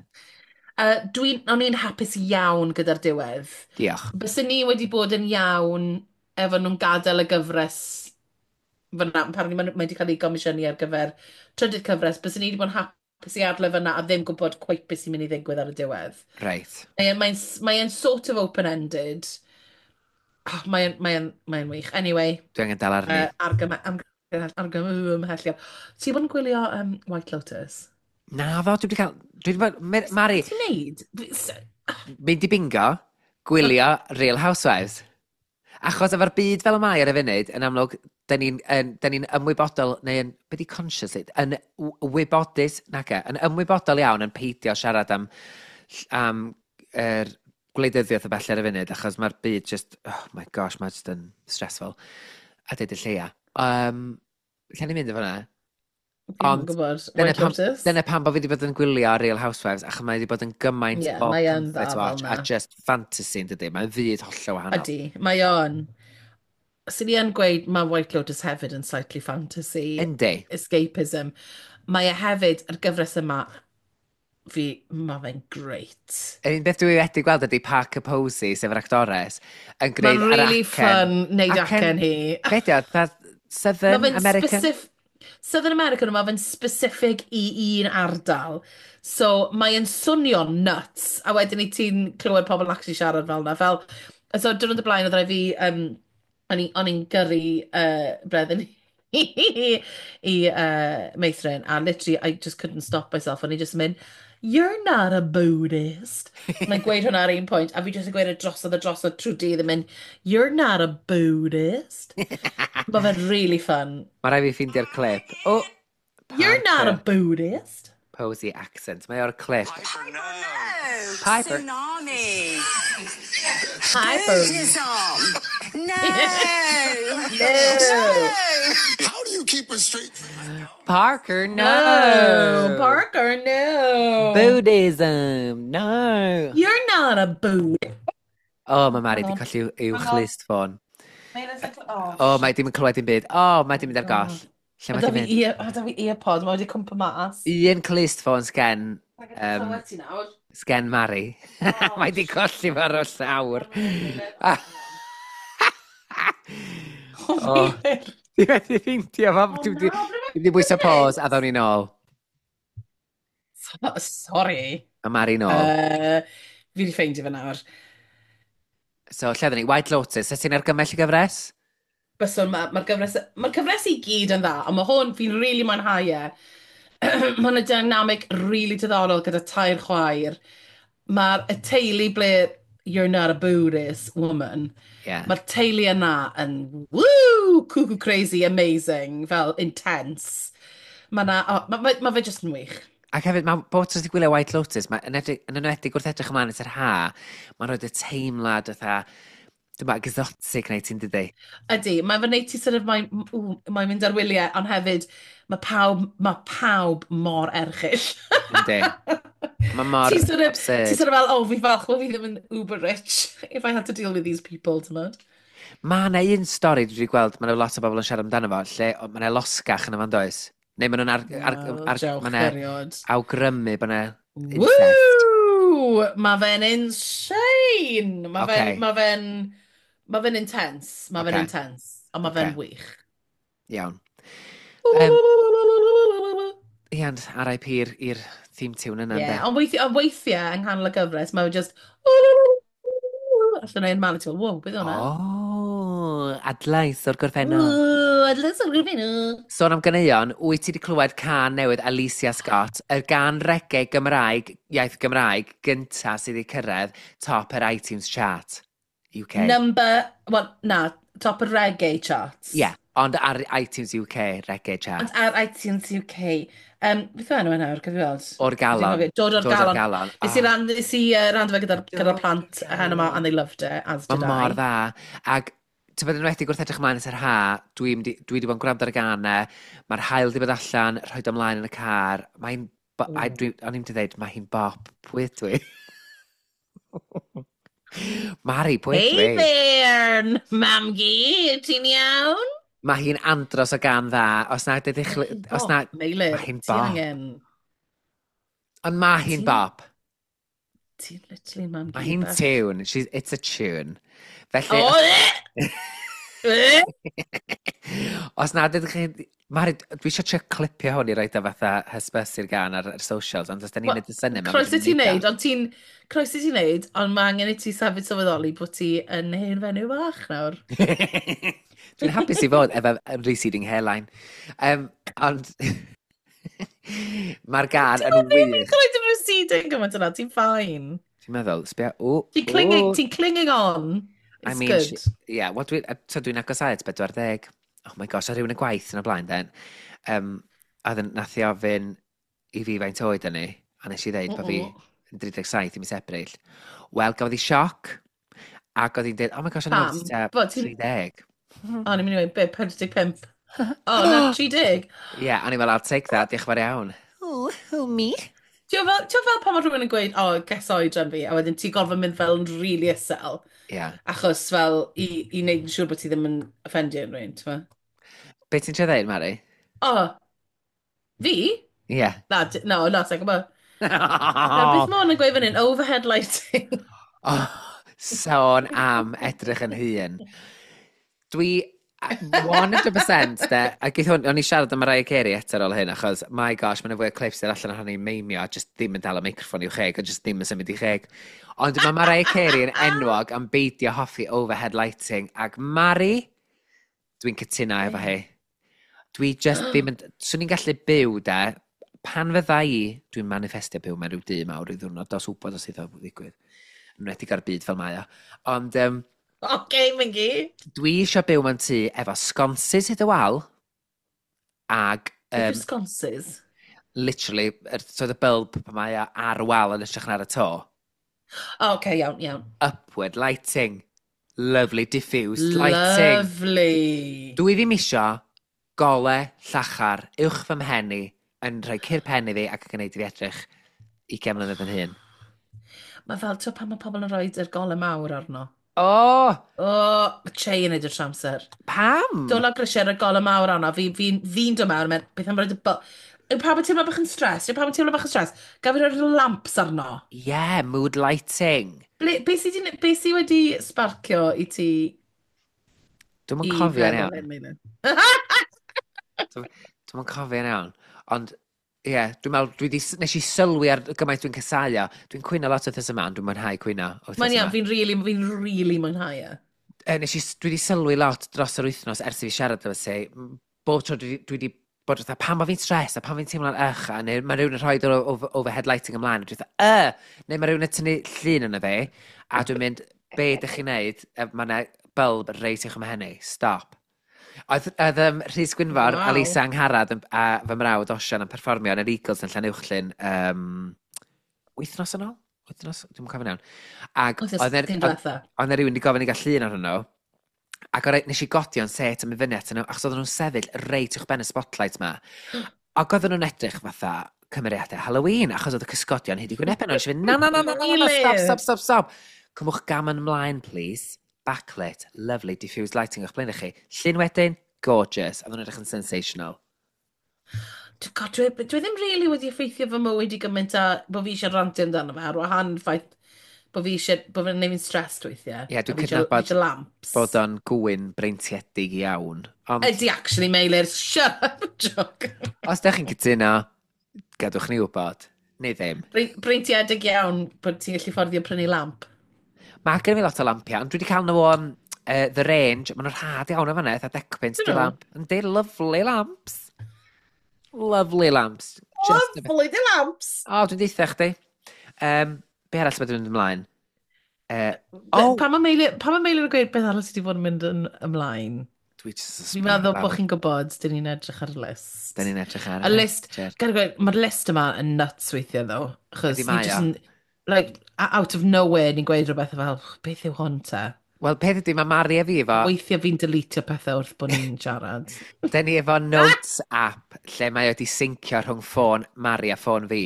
O'n i'n hapus iawn gyda'r diwedd. Diolch. Byswn ni wedi bod yn iawn efo nhw'n gadael y gyfres fyna, apparently mae wedi cael ei gomisiynu ar gyfer trydydd cyfres, byswn ni wedi bod yn hapus i adael fyna a ddim gwybod quite beth sy'n mynd i ddigwydd ar y diwedd. Mae'n mae sort of open-ended. Oh, mae wych. Anyway, Dwi angen dal arni. Argymhelliad. Ti wedi bod yn gwylio White Lotus? Na fo, dwi wedi cael. Dwi wedi bod. Mari, Ti'n neud? mynd i bingo, gwylio Real Housewives. Achos efo'r byd fel y mae ar y funud, yn amlwg, da ni'n ni ymwybodol, neu yn, be di conscious, yn wybodus, naca, yn ymwybodol iawn yn peidio siarad am er, gwleidyddiaeth o bell ar y funud, achos mae'r byd just, oh my gosh, mae just yn stressful. A deud y lleia. Lle ni'n mynd efo hwnna? Fi'n Ond gwybod. Dyna White pam, Lotus? dyna pam bod fi wedi bod yn gwylio Real Housewives, achos mae wedi bod yn gymaint Ie, o mae yn comfort dda fel watch, a 'na. just fantasy yn dydy. Mae'n fyd hollol wahanol. Ydy, mae o'n. Sy'n ni yn gweud mae White Lotus hefyd yn slightly fantasy. Yndi. Escapism. Mae e hefyd, yr gyfres yma, Fi, mae fe'n great. Yr un beth dwi wedi gweld ydy Parker Posey, sef yr actores, yn gwneud Mae'n yr really acen. fun neud acen hi. Be di o? Fatha Southern Ma' fe'n American? Southern American, mae fe'n specific i un ardal. So mae'n swnio nuts, a wedyn i ti'n clywed pobl actually siarad fel yna. Fel, so diwrnod y blaen oedd rhaid fi, o'n i'n gyrru Breddin i Meithrin, a literally I just couldn't stop myself. O'n i just yn mynd, "You're not a Buddhist." Mae'n gweud hwnna ar un pwynt, a fi just yn gweud e drosodd a drosodd trwy dydd yn mynd, "You're not a Buddhist." Mae fe'n really fun. Mae rhaid fi ffeindio'r clip. O! "You're not a Parker Buddhist." Posey accent. Mae o'r clip. Piper, no. Piper. Tsunami. Piper. Buddhism. No. No. How do you keep a straight Parker, no! No. Parker, no. Buddhism, no! You're not a Buddhist. O, mae Mari wedi colli i'w chlust ffôn. O, mae dim yn clywed dim byd. O, mae di mynd ar goll. Lle mae Da di fi mynd? O, da fi earpod, mae wedi cwmpa mas. Un clust ffôn sgen, Clywed ti nawr. sgen Mari. Mae di colli fo ar y llawr. O, Di wedi ffeindio fo. Dwi wedi na, ble dwi wedi bwyso pause a ddawn ni nôl. Sorry. A Mari nôl. Fi wedi ffeindio fe nawr. So, lle ddyn ni? White Lotus. Ys ti'n argymell y gyfres? Byswn, mae'r ma gyfres, ma cyfres i gyd yn dda, ond mae hwn, fi'n really mwynhau e. Mae yna dynamic really diddorol gyda tair chwaer. Mae'r y teulu ble "You're not a Buddhist, woman." Mae'r teulu yna yn woo, cuckoo crazy, amazing, fel intense. Mae na, oh, ma, ma, ma fe just yn wych. Ac hefyd, mae bod ti'n gwylio White Lotus, mae yn enwedig wrth edrych ymlaen at yr ha, mae'n rhoi y teimlad fatha, dwi'n meddwl, exotic neu ti'n dydi? Ydy, mae'n fy wneud ti sort of, mae'n mae mynd ar wyliau, ond hefyd mae pawb mor erchyll. Yndi. Mae mor Ti'n sort of, absurd. ti'n sort of fel, "Oh, fi falch bod fi ddim yn uber rich if I had to deal with these people," ti'n modd? Mae yna un stori dwi wedi gweld, mae yna lot o bobl yn siarad amdano fo, lle mae yna losgach yn y fan does? Neu maen nhw'n Wel, jawch ma' 'na erioed. awgrymu bod yna incest. Woo! Mae fe'n insane! Mae fe'n, mae fe'n, mae fe'n intense. Mae fe'n intense. Ond mae fe'n wych. Iawn. Iawn, RIP i'r theme tune yna, Yeah, ynde? ond weithiau yng nghanol y gyfres, mae fe just allan o'n man, a ti'n fel, "Wow, beth hwnna?" O, adlais o'r gorffennol. Ooh, adlais o'r gorffennol. Sôn am ganeuon, wyt ti wedi clywed cân newydd Aleighcia Scott, y gân reggae Gymraeg, iaith Gymraeg, gynta sydd wedi cyrraedd top yr iTunes chart UK? Number, well, na, top y reggae charts. Ie, yeah, ond ar iTunes UK reggae chart. Ond ar iTunes UK. Beth yw enw e nawr, gad fi weld? O'r galon. Dwi'n cofio. Dod o'r Dod o'r galon. galon. Nes i ran, nes i rando fe gyda plant hen yma, and they loved it, as did Mae mor I. dda. Ac ti'n bod yn enwedig wrth edrych ymlaen at yr ha, dwi di bod yn gwrando ar y ganau, mae'r haul di bod allan, rhoi ymlaen yn y car, mae'n... O'n i'n mynd i dweud, mae hi'n bop. Pwy ydw i? Mari, pwy ydw Hey i? there, mam-gu, ti'n iawn? Mae hi'n andros o gân dda. Os na, dydych... Os na, Meilir, mae hi'n ti bop. angen. Ond mae hi'n bop. Ti'n literally mam-gu Mae hi'n bach. tune. It's a tune. Felly, Oh, eh! os na, dydych chi... Mari, dwi eisiau trio clipio hwn i roid o fatha hysbysu'r gân ar socials, ond os da ni'n Wel, neud y syniad... Croeso ti wneud, ond ti'n... Croeso ti wneud, ond mae angen i ti safyd sylweddoli bod ti yn hen fenyw bach nawr. Dwi'n hapus i fod efo receding hairline. Ond mae'r gân yn Ddim yn wych. cael ei receding gymaint yna, ti'n fine. Ti'n meddwl, sbia, o, Ti'n clinging, ti'n clinging on. I It's mean, good. Yeah, well, so dwi'n agosau at 40. Oh my gosh, a rhywun y gwaith yn y blaen, then. A ddyn, nath i ofyn i fi faint oed yn ni, a nes i ddeud bod fi yn 37 i mis Ebrill. Wel, gafodd hi sioc, ac oedd hi'n dweud, "Oh my gosh, o'n i'n Pam? meddwl ti Bod ti'n- 30." O, ni'n mynd i weud, be, 45? O, na, 30. Yeah, a ni'n fel, "I'll take that, diolch yn fawr iawn." Oh, who, me? Ti'n fel pan mae rhywun yn gweud, "Oh, guess oedran fi," a wedyn ti'n gorfod mynd fel yn really isel, achos fel i wneud yn siŵr bod ti ddim yn offendio unrhyw un, ti'n meddwl? Be ti'n trio dweud, Mari? O, fi? Yeah. Na, no, na, sa'n gwybod. Nawr, beth mae hwn yn gweud fan hyn? Overhead lighting. Oh, sôn am edrych yn hŷn. Dwi 100% de, a geith hwn, o'n i siarad am Mariah Carey eto ar ôl hyn, achos, my gosh, mae'n fwy o clips sydd allan ohoni meimio a just ddim yn dal y meicroffon i'w cheg, a just ddim yn symud i cheg. Ond mae Mariah Carey yn enwog am beidio hoffi overhead lighting, ac Mari, dwi'n cytuno efo hi. Dwi just ddim yn... Swn i'n gallu byw, de, pan fydda i, dwi'n manifestio byw mewn rhyw dŷ mawr rhyw ddiwrnod, dos wybod os iddo ddigwydd. Yn enwedig ar byd fel mae o. Ond Oce, Mingy. Dwi eisiau byw mewn tŷ efo sconces hyd y wal, ag Sconces? Literally, so the bulb pan mae o ar y wal yn hytrach na ar y to. O, oce, iawn, iawn. Upward lighting. Lovely diffused lighting. Lovely. Dwi ddim isio gole llachar uwch fy mhen i yn rhoi cur pen i fi ac yn gwneud i fi edrych 20 mlynedd yn hŷn. Mae fel, ti'n pan mae pobl yn rhoi yr gole mawr arno. O! O, che yn neud y trwy amser. Pam? Dod lawr grisiau ar y gole mawr arno, fi dod mewn, mynd, beth am roed y... Yw pawb yn teimlo bach yn stress? Yw pawb yn teimlo bach yn stress? Gaf fi roi'r lamps arno? Yeah, mood lighting. Ble, be sy wedi sparcio i ti Dwi'm yn i cofio'n feddwl iawn. hyn, Meilir? Dwi'm yn cofio'n iawn. Ond, ie, yeah, dwi'n meddwl, nes i sylwi ar gymaint dwi'n casau o. Dwi'n cwyno lot wythnos yma, ond dwi'n mwynhau cwyno wythnos Mae'n iawn, yma. fi'n really mwynhau e. Dwi wedi sylwi lot dros yr wythnos ers i fi siarad efo ti. Bob tro dwi wedi bod fatha, pan mae fi'n stress a pan fi'n teimlo'n ych, a neu mae rhywun yn rhoi yr overhead lighting ymlaen, a dwi'n fatha, neu mae rhywun yn tynnu llun yna fi, a dwi'n mynd, be ydych chi'n neud? Mae yna bulb reit uwch 'y mhen i, stop. Oedd Rhys Gwynfor a Lisa Angharad a fy mrawd Osian yn perfformio yn yr Eagles yn Llanuwchllyn wythnos yn ôl? Wythnos? Dwi'm yn cofio'n iawn. Ac Wythnos oedd dim diwetha. oedd 'na rhywun wedi gofyn i gael llun arnyn nhw. Ac nes i godi o'n set a mynd fyny atyn nhw, achos oedden nhw'n sefyll reit uwch ben y spotlight ma. Ac oedden nhw'n edrych fatha cymeriadau Halloween, achos oedd y cysgodion hyd i gwynebau nhw. Nes i fynd, na, na, na, na, na, na, stop, stop, stop, stop. Cymwch gam yn ymlaen, please. Backlit, lovely, diffused lighting o'ch blaen i chi. Llun wedyn, gorgeous. Oedden nhw'n edrych yn sensational. God, dwi ddim really wedi effeithio fy mywyd i gymaint a bod fi eisiau rantio amdano fe, ar wahan ffaith bod fi eisiau, bod fi'n neud fi'n stressed weithiau. Ie, dwi'n A fi cydnabod fi eisiau lamps. bod o'n gwyn breintiedig iawn. Ond Ydy, actually, Meilir, shut up, joke. Os ydych chi'n cytuno, gadwch ni wybod. Neu ddim. Breintiedig iawn bod ti'n gallu fforddio prynu lamp. Mae gen i fi lot o lampiau, ond dwi wedi cael nhw o The Range. Maen nhw'n rhad iawn o fan'na, eitha decpunt Dyn di nhw? lamp. Yndi, lovely lamps. Lovely lamps. Just a bit. Lovely, the lamps! O, dwi'n deitha chdi. Be arall sydd wedi mynd ymlaen? Oh, Pan mae Meilir yn gweud beth arall sydd wedi bod yn mynd yn ymlaen? Dwi just yn Fi'n sbio meddwl lawr. bod chi'n gwybod, dyn ni'n edrych ar y list. Dyn ni'n edrych ar Y list, Jer. Gada gweud, mae'r list yma yn nuts weithiau, ddo. Achos Ydy ni mae jyst o. yn, like, out of nowhere, ni'n gweud rhywbeth fel, "Beth yw hwn te?" Wel, peth ydy, mae Mari a fi efo, Weithiau fi'n deletio pethau wrth bod ni'n siarad. Den ni efo Notes app lle mae wedi syncio rhwng ffôn Mari a ffôn fi.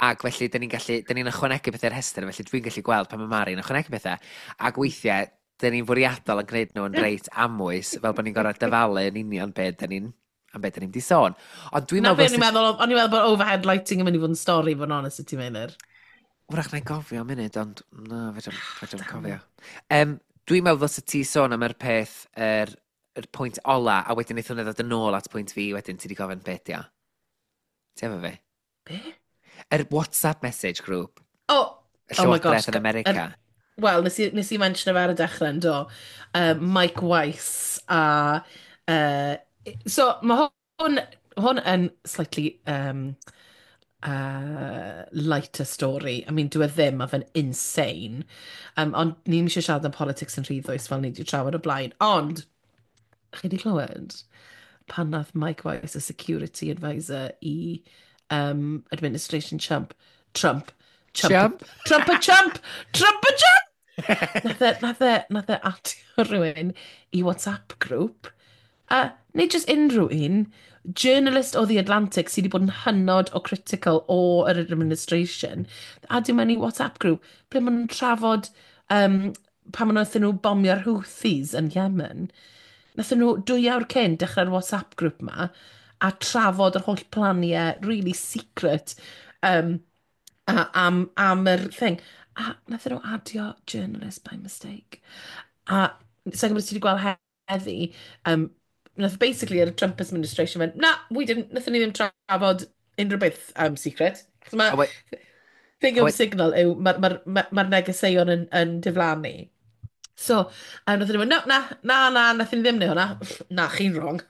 Ac felly, dyn ni'n ychwanegu pethau'r rhestr, felly dwi'n gallu gweld pan mae Mari yn ychwanegu pethau. Ac weithiau, dyn ni'n fwriadol yn gwneud nhw'n reit amwys, fel bod ni'n gorfod dyfalu yn union be dyn ni'n am be dyn ni'n di sôn. Ond dwi'n Na meddwl be o'n i'n meddwl, o'n i'n meddwl bod overhead lighting yn mynd i fod yn stori, fod yn honest i ti, Meilir. Wrach na'n gofio am munud, ond na, fedrwn cofio. Dwi'n meddwl ddylse ti sôn am yr peth, yr pwynt ola, a wedyn wnaeth hwnna ddod yn ôl at pwynt fi, wedyn ti wedi gofyn beth ia. Ti efo fi? Be? Yr WhatsApp message group. Oh, Y oh my gosh. Llywodraeth yn America. Wel, nes i mention fe ar y dechrau yn do. Mike Weiss a... So, mae hwn yn slightly lighter story. I mean, dwi e ddim, mae fe'n insane. Ond ni'n eisiau siarad am politics yn rhy ddwys fel ni wedi trafod o blaen. Ond, chi wedi clywed pan nath Mike Weiss, y security advisor i administration Trump, Trump, Trump, Chump? Trump a Trump, Trump a Trump! Nath e adio rhywun i WhatsApp group, a neu just unrhyw un, journalist o The Atlantic sydd wedi bod yn hynod o critical o yr administration, adio mewn i WhatsApp group, ble maen nhw'n trafod pan maen nhw bomio'r Houthis yn Yemen. Nathon nhw 2 awr cyn dechrau'r WhatsApp group ma a trafod yr holl planiau really secret. Um, A, am yr thing. A nath nhw adio journalist by mistake. A sa'n gwybod os ti wedi gweld heddi, nath basically yr Trump administration went, na, we didn't, nathon ni ddim trafod unrhyw beth secret. Achos A mae thing a of Signal yw, mae'r ma negeseuon yn diflannu. So, a nath nhw mynd, no, na, na, na, nath ni ddim neud hwnna. Na, chi'n wrong.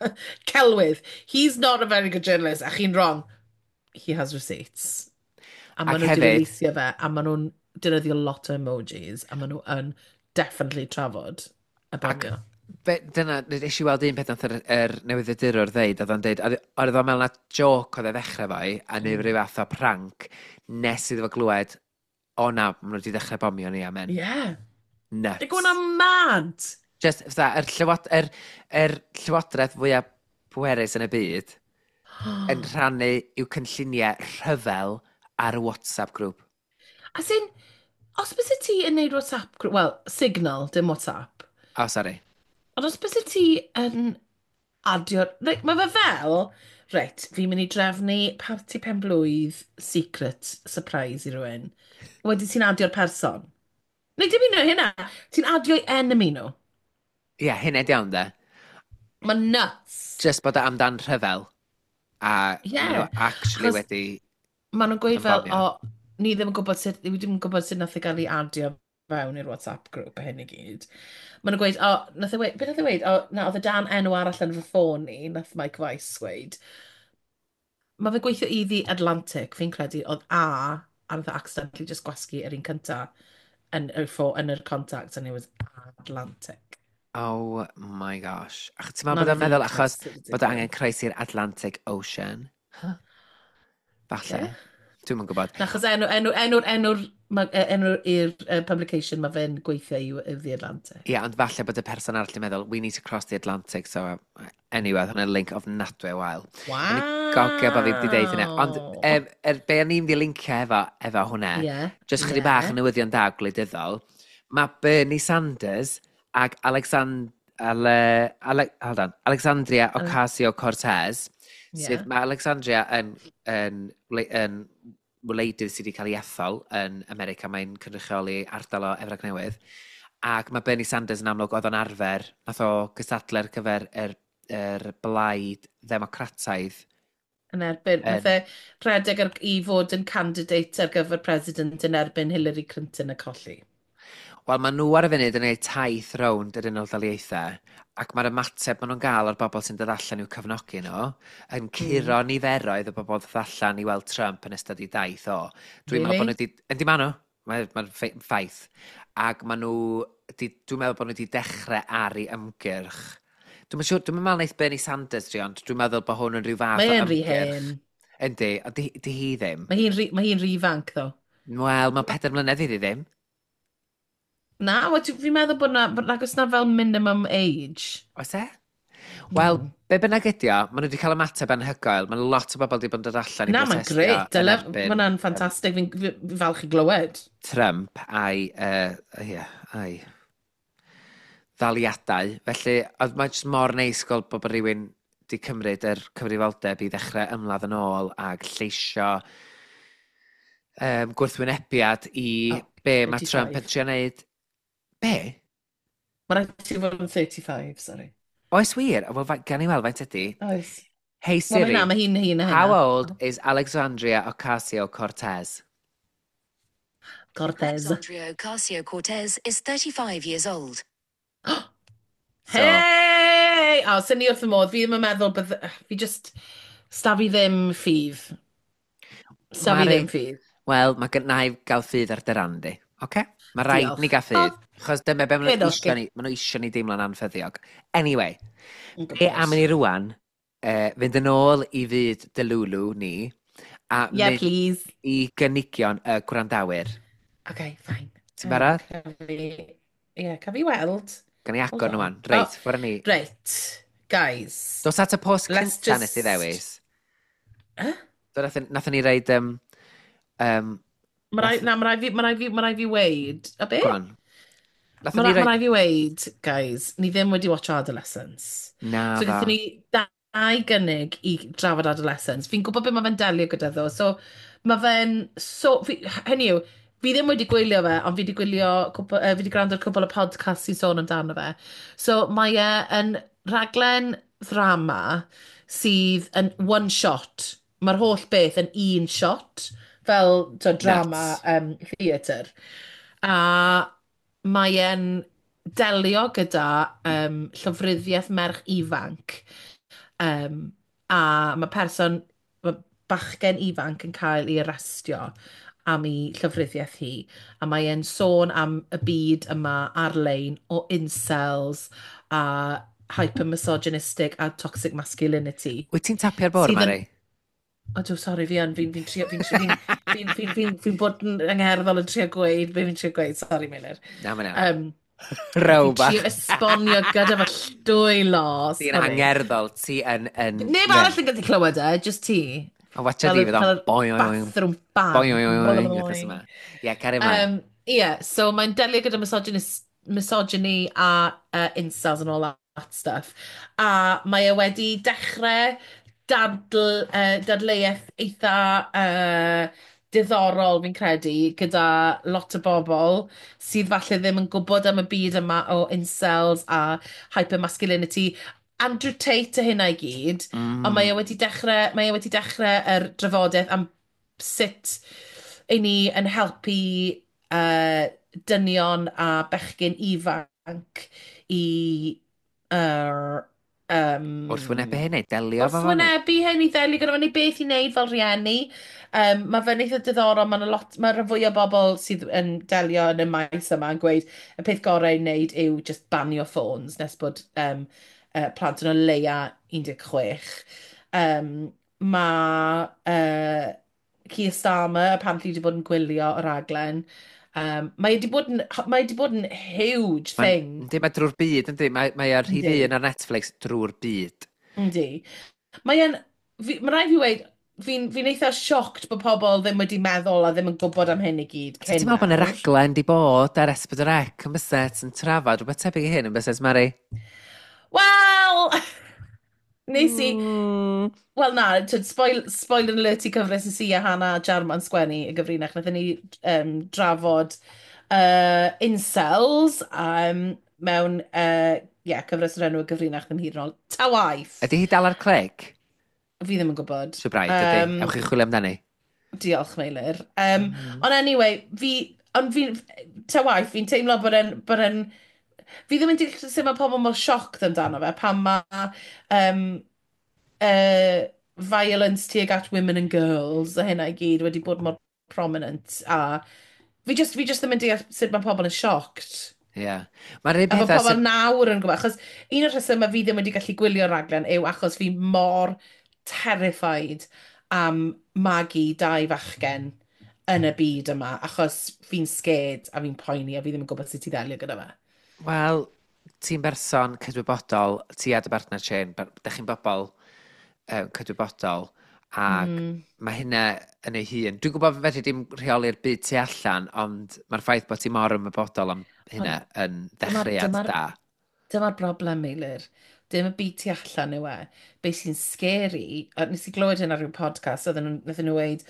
Celwydd. He's not a very good journalist, a chi'n wrong. He has receipts. A Ac maen nhw wedi hefyd, releasio fe, a maen nhw'n defnyddio lot o emojis, a maen nhw yn definitely trafod y Ac bomio. be, dyna, nes i weld un peth nath yr newyddiadurwr ddeud, oedd o'n deud, oedd o'n meddwl na joke oedd e ddechrau fo i, a neu rhyw fath o prank, nes iddo fo glywed, o na, maen nhw wedi dechrau bomio ni, amen. Yeah. They're Nuts. going on mad. Just, fatha, yr llywodraeth fwyaf pwerus yn y byd yn rhannu i'w cynlluniau rhyfel ar y WhatsApp grŵp. As in, os byse ti yn neud WhatsApp group, well, Signal, dim WhatsApp, Oh, sorry. ond os byse ti yn adio, like, mae fe fel, reit, fi'n mynd i drefnu parti penblwydd secret surprise i rywun. Wedyn ti'n adio'r person. Neu dim un o hynna, ti'n adio'i enemy nhw. Ie, yeah, hynna di iawn, de. Mae'n nuts. Just bod o amdan rhyfel. A Ie. maen nhw actually Achos wedi maen nhw'n bod gweud yn fel, bomio. o, ni ddim yn gwybod sut, ni ddim yn gwybod sut nath e gael ei adio fewn i'r WhatsApp grŵp a hyn i gyd. Maen nhw'n gweud, o, nath e weud, beth nath e weud? O, na, oedd e dan enw arall yn fy ffôn i, nath Mike Weiss weud. Mae fe'n gweithio i The Atlantic, fi'n credu, oedd a nath e accidentally just gwasgu yr un cynta yn y yn yr contacts, and it was Atlantic. Oh my gosh. Ach, ti'n meddwl Not bod o'n even meddwl achos close to the bod o angen degree. croesi'r Atlantic Ocean? Huh? Falle. Yeah. Dwi'm yn gwybod. Na, achos enw'r i'r publication mae fe'n gweithio i The Atlantic. Ie, yeah, ond falle bod y person arall yn meddwl, we need to cross the Atlantic, so anyway, oedd hwnna'n link ofnadwy o wael. O'n i gogio bod fi wedi deud hynna. Ond Wow. be o'n i'n mynd i lincio efo hwnna, Yeah, just chydig bach yeah. o newyddion da gwleidyddol, mae Bernie Sanders ag Ale, Ale, hold on, Alexandria Ocasio-Cortez, sydd, mae Alexandria yn wleidydd sydd wedi cael ei ethol yn America, mae'n cynrychioli ardal o Efrog Newydd, ac mae Bernie Sanders yn amlwg oedd o'n arfer, nath o gystadlu ar gyfer yr blaid ddemocrataidd. Yn erbyn, nath Yn, e rhedeg ar, i fod yn candidate ar gyfer president yn erbyn Hillary Clinton a colli. Wel, maen nhw ar y funud yn gwneud taith rownd yr Unol Daleithiau, ac mae'r ymateb maen nhw'n gael o'r bobl sy'n dod allan i'w cefnogi nhw yn curo niferoedd o bobl dod allan i weld Trump yn ystod ei daith o. Dwi'n meddwl bod Really? nhw wedi... Yndi maen nhw, mae'r ffaith. Ac maen nhw... Dwi'n meddwl bod nhw wedi dechrau ar ei ymgyrch. Dwi'n siŵr, dwi'n meddwl wneith Bernie Sanders drio, ond dwi'n meddwl bod hwn yn rhyw fath Mae o e'n rhy ymgyrch. hen. Yndi, ond di hi ddim. Mae hi'n rhy ifanc, ddo. Wel, mae'n 4 mlynedd iddi ddim. Na, wel, fi'n meddwl bod na, bod nag oes na fel minimum age. Oes e? Wel, be bynnag ydi o, maen nhw wedi cael ymateb anhygoel. Mae lot o bobl wedi bod yn dod allan i Na, mae'n brotestio grêt. yn Dyle, erbyn mae hwnna'n ffantastig. Fi'n fi falch i glywed. Trump a'i, yeah, a'i ddaliadau. Felly, oedd mae'n jyst mor neis gweld bod rhywun wedi cymryd yr cyfrifoldeb i ddechrau ymladd yn ôl ag lleisio gwrthwynebiad i Oh, be mae Trump yn 35. trio wneud. Be? Mae rhaid ti fod yn 35, sorry. Oes wir? Wel, gan i weld faint ydi. Oes. Hey Wel, mae Siri, hynna, mae hi'n hyn a how hynna. old is Alexandria Ocasio-Cortez? Cortez. Alexandria Ocasio-Cortez is 35 years old. So, Hey! O, sy'n ni wrth y modd. Fi ddim yn meddwl bydd... Fi just... Sta fi ddim ffydd. Sta fi Mari, ddim ffydd. Wel, mae gen i gael ffydd ar dy ran di. Oce? Mae rhaid Diolch. ni gael ffydd. Achos dyma be maen Hyn nhw oce. isio ni, maen nhw isio ni deimlo'n anffyddiog. Anyway, Yn be am i gwybod. ni rwan, fynd yn ôl i fyd Delulu ni, a Yeah, mynd please. i gynigion y gwrandawyr. Okay, fine. Ti'n barod? Ie, ca fi weld. Gan i Hold agor nhw on. wan. Reit, Oh, ffwrdd ni. reit, guys. Dos at y post Let's cynta nes i just... ddewis. Huh? Do, nathon ni reid... Mae rai, nath, na, mae rai fi, mae rai fi, mae rai fi weid. A be? go on. Nathon Mae ni rai, ma reid... rai fi weid, guys, ni ddim wedi watch Adolescence. Na So ddo. gaethon ni dau gynnig i drafod Adolescence. Fi'n gwybod beth mae fe'n delio gyda ddo. So Mae fe'n so... Fi, hynny yw, fi ddim wedi gwylio fe, ond fi wedi gwylio, cwpl, fi wedi gwrando ar cwpl o podcasts sy'n sôn amdano fe. So mae e yn rhaglen ddrama sydd yn one shot. Mae'r holl beth yn un shot, fel to, drama Nuts. Theatr. A mae e'n delio gyda llofruddiaeth merch ifanc. A mae person, mae bachgen ifanc yn cael ei arestio am ei llofruddiaeth hi. A mae e'n sôn am y byd yma ar-lein o incels a hyper-misogynistic a toxic masculinity. Wyt ti'n tapio'r bwrdd, Sydd yn- Mari? O, dw, sori, fi yn, fi'n trio, fi'n fi fi fi fi fi bod yn angherddol yn trio gweud, be fi'n trio gweud, sori, Meilir. Na, mae'n iawn. Fi'n Row bach. trio esbonio gyda fy dwylo, Ti'n sori. angerddol, ti yn Neb arall yn gallu clywed e, just ti. A watcha Fel di, y fydd o'n fel y boi, oi, oi, bathroom boi, fan. oi, oi, oi, wythnos yma. Ie, cario ymlaen. Yeah, so mae'n delio gyda misogyny a incels and all that stuff. A mae e wedi dechrau dadleuaeth eitha diddorol, fi'n credu, gyda lot o bobl sydd falle ddim yn gwybod am y byd yma o incels a hypermasculinity. Andrew Tate a hynna i gyd, ond mae e wedi dechrau yr drafodaeth am sut i ni yn helpu dynion a bechgyn ifanc i Wrthwynebu hynny, delio efo fo. wrthwynebu hyn, i ddelio gyda fo, neu beth i wneud fel rhieni. Mae fe'n eitha diddorol, mae'n lot, mae rhan fwy o bobl sydd yn delio yn y maes yma yn gweud y peth gorau i wneud yw just banio ffôns nes bod plant yn o leia 16. Mae Keir Starmer apparently wedi bod yn gwylio y raglen. Mae wedi bod yn huge thing. Yndi, mae drwy'r byd, yndi. Mae ar rhif 1 ar Netflix drwy'r byd. Yndi. Mae e'n... Mae rhaid fi weud, fi'n eitha shocked bod pobl ddim wedi meddwl a ddim yn gwybod am hyn i gyd So, cyn ti'n meddwl bod yna nawr. raglen di bod ar S4C yn byset yn trafod rhywbeth tebyg i hyn yn byset, Mari? Wel, nes i... Wel na, twyd, spoiler alert i cyfres nes i a Hannah Jarman sgwennu y gyfrinach. Nathon ni drafod incels mewn yeah, cyfres o'r enw y gyfrinach ddim hyd yn ôl. Ta waith! Ydy hi dal ar clic? Fi ddim yn gwybod. Siwr braidd, ydy. Ewch i chwilio amdani. Diolch, Meilir. Ond anyway, ond fi, ta waith, fi'n teimlo bod e'n, fi ddim yn deall sut mae pobl mor shocked amdano fe, pan mae violence tuag at women and girls a hynna i gyd wedi bod mor prominent, a fi just ddim yn deall sut mae pobl yn shocked. Ie. Yeah. Mae'r un A bod pethau pobl sydd nawr yn gwybod, achos un o'r rhesymau fi ddim wedi gallu gwylio'r raglen yw achos fi mor terrified am magu dau fachgen yn y byd yma, achos fi'n scared a fi'n poeni a fi ddim yn gwybod sut i ddelio gyda fe. Wel, ti'n berson cydwybodol, ti a dy bartner Shane, dych chi'n bobl cydwybodol, ac mae hynna yn ei hun. Dwi'n gwybod fedri dim rheoli'r byd tu allan, ond mae'r ffaith bod ti mor ymwybodol am hynna yn ddechreuad da. Dyma'r broblem, Meilir. Dim y byd tu allan yw e. Be sy'n scary, a nes i glywed hyn ar ryw podcast, wnaethon nhw weud,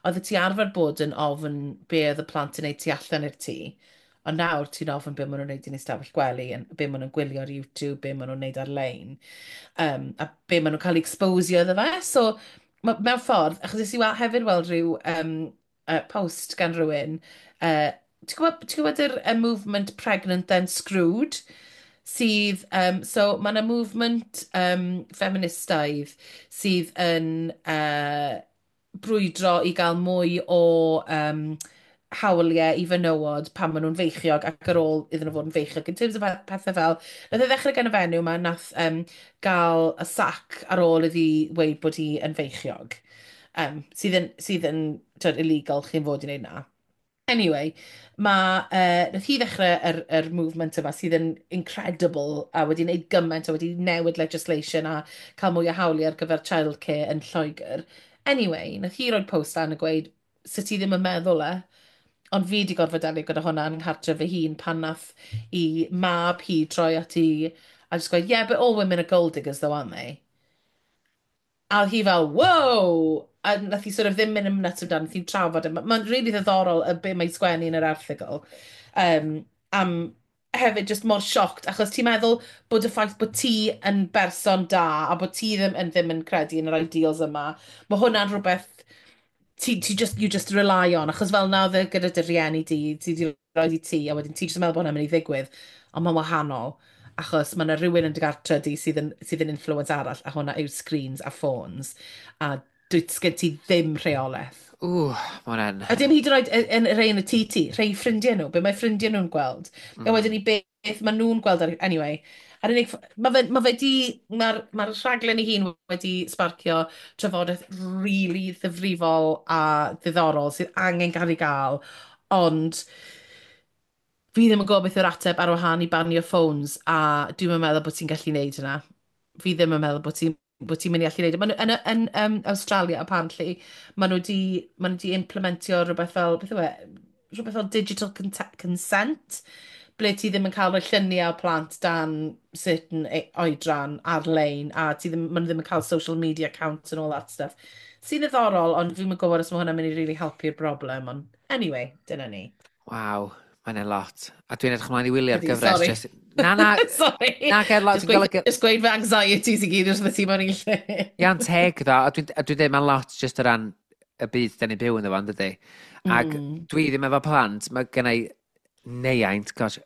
oedd ti arfer bod yn ofn be oedd y plant yn neud tu allan i'r tŷ, ond nawr ti'n ofn be maen nhw'n neud yn eu stafell gwely, be maen nhw'n gwylio ar YouTube, be maen nhw'n neud ar-lein, a be maen nhw'n cael ei exposio iddo fe. So, mewn ffordd, achos nes i hefyd weld rhyw post gan rhywun, ti'n gwybod yr movement Pregnant Then Screwed? Sydd, so mae yna movement feministaidd sydd yn brwydro i gael mwy o hawliau i fenywod pan maen nhw'n feichiog ac ar ôl iddyn nhw fod yn feichiog. In terms of pethau fel, nath e ddechrau gan y fenyw ma nath gael y sac ar ôl iddi weud bod hi yn feichiog. Sydd yn twyd, illegal chi'n fod i wneud na. Anyway, nath hi ddechrau yr movement yma sydd yn incredible a wedi wneud gymaint a wedi newid legislation a cael mwy o hawliau ar gyfer childcare yn Lloegr. Anyway, nath hi roed post lan a gweud, sut ti ddim yn meddwl e, ond fi wedi gorfod delio gyda hwnna yn nghartref fy hun pan nath i mab hi troi at hi a just gweud, "Yeah, but all women are gold diggers though, aren't they?" A oedd hi fel, "Whoa!" A nath hi sort of ddim mynd yn nuts amdano, nath hi trafod e. Mae'n really ddiddorol y be mae'n sgwennu yn yr erthygl. Am hefyd just mor shocked, achos ti'n meddwl bod y ffaith bod ti yn berson da a bod ti ddim yn credu yn yr ideals yma, mae hwnna'n rhywbeth ti just, you just rely on, achos fel na oedd e gyda dy rieni di, ti di roi i ti, a wedyn ti just yn meddwl bod hwnna'n mynd i ddigwydd, ond mae'n wahanol, achos mae yna rhywun yn dy gartre di sydd yn influence arall, a hwnna yw screens a phones, a dwyt sgen ti ddim rheolaeth. Ww, mae hwnna'n. A dim hyd yn oed yn rhai yn y tŷ ti, rhai ffrindiau nhw, be mae ffrindiau nhw'n gweld. A wedyn i beth maen nhw'n gweld ar. Anyway, a'r unig... Mae fe di... Mae'r rhaglen ei hun wedi sparcio trafodaeth really ddifrifol a ddiddorol sydd angen cael ei gael, ond fi ddim yn gwybod beth yw'r ateb ar wahân i banio phones, a dwi'n meddwl bod ti'n gallu neud hynna. Fi ddim yn meddwl bod ti'n mynd i allu neud e. Ma' nhw, yn Australia, apparently, maen nhw di implementio rhywbeth fel, beth yw e, rhywbeth fel digital consent, ble ti ddim yn cael rhoi lluniau o plant dan certain oedran ar-lein, a ti ddim, maen nhw ddim yn cael social media accounts and all that stuff. Sy'n ddiddorol, ond fi'n gwybod os mae hwnna'n mynd i really helpu'r broblem, ond anyway, dyna ni. Waw, mae'n lot. A dwi'n edrych ymlaen i wylio'r Ydi, gyfres. Sorry. Just. Na, na, Sorry. na, ger lot. Just Dwi'n gweud, golygu. just gweud fy anxieties i gyd wrth y ti mewn i lle. Iawn teg ddo, a dwi'n dweud mae'n lot just o ran y byd da ni'n byw ynddo fo, dydy. Ac dwi ddim efo plant, mae gen i neiaint, gosh,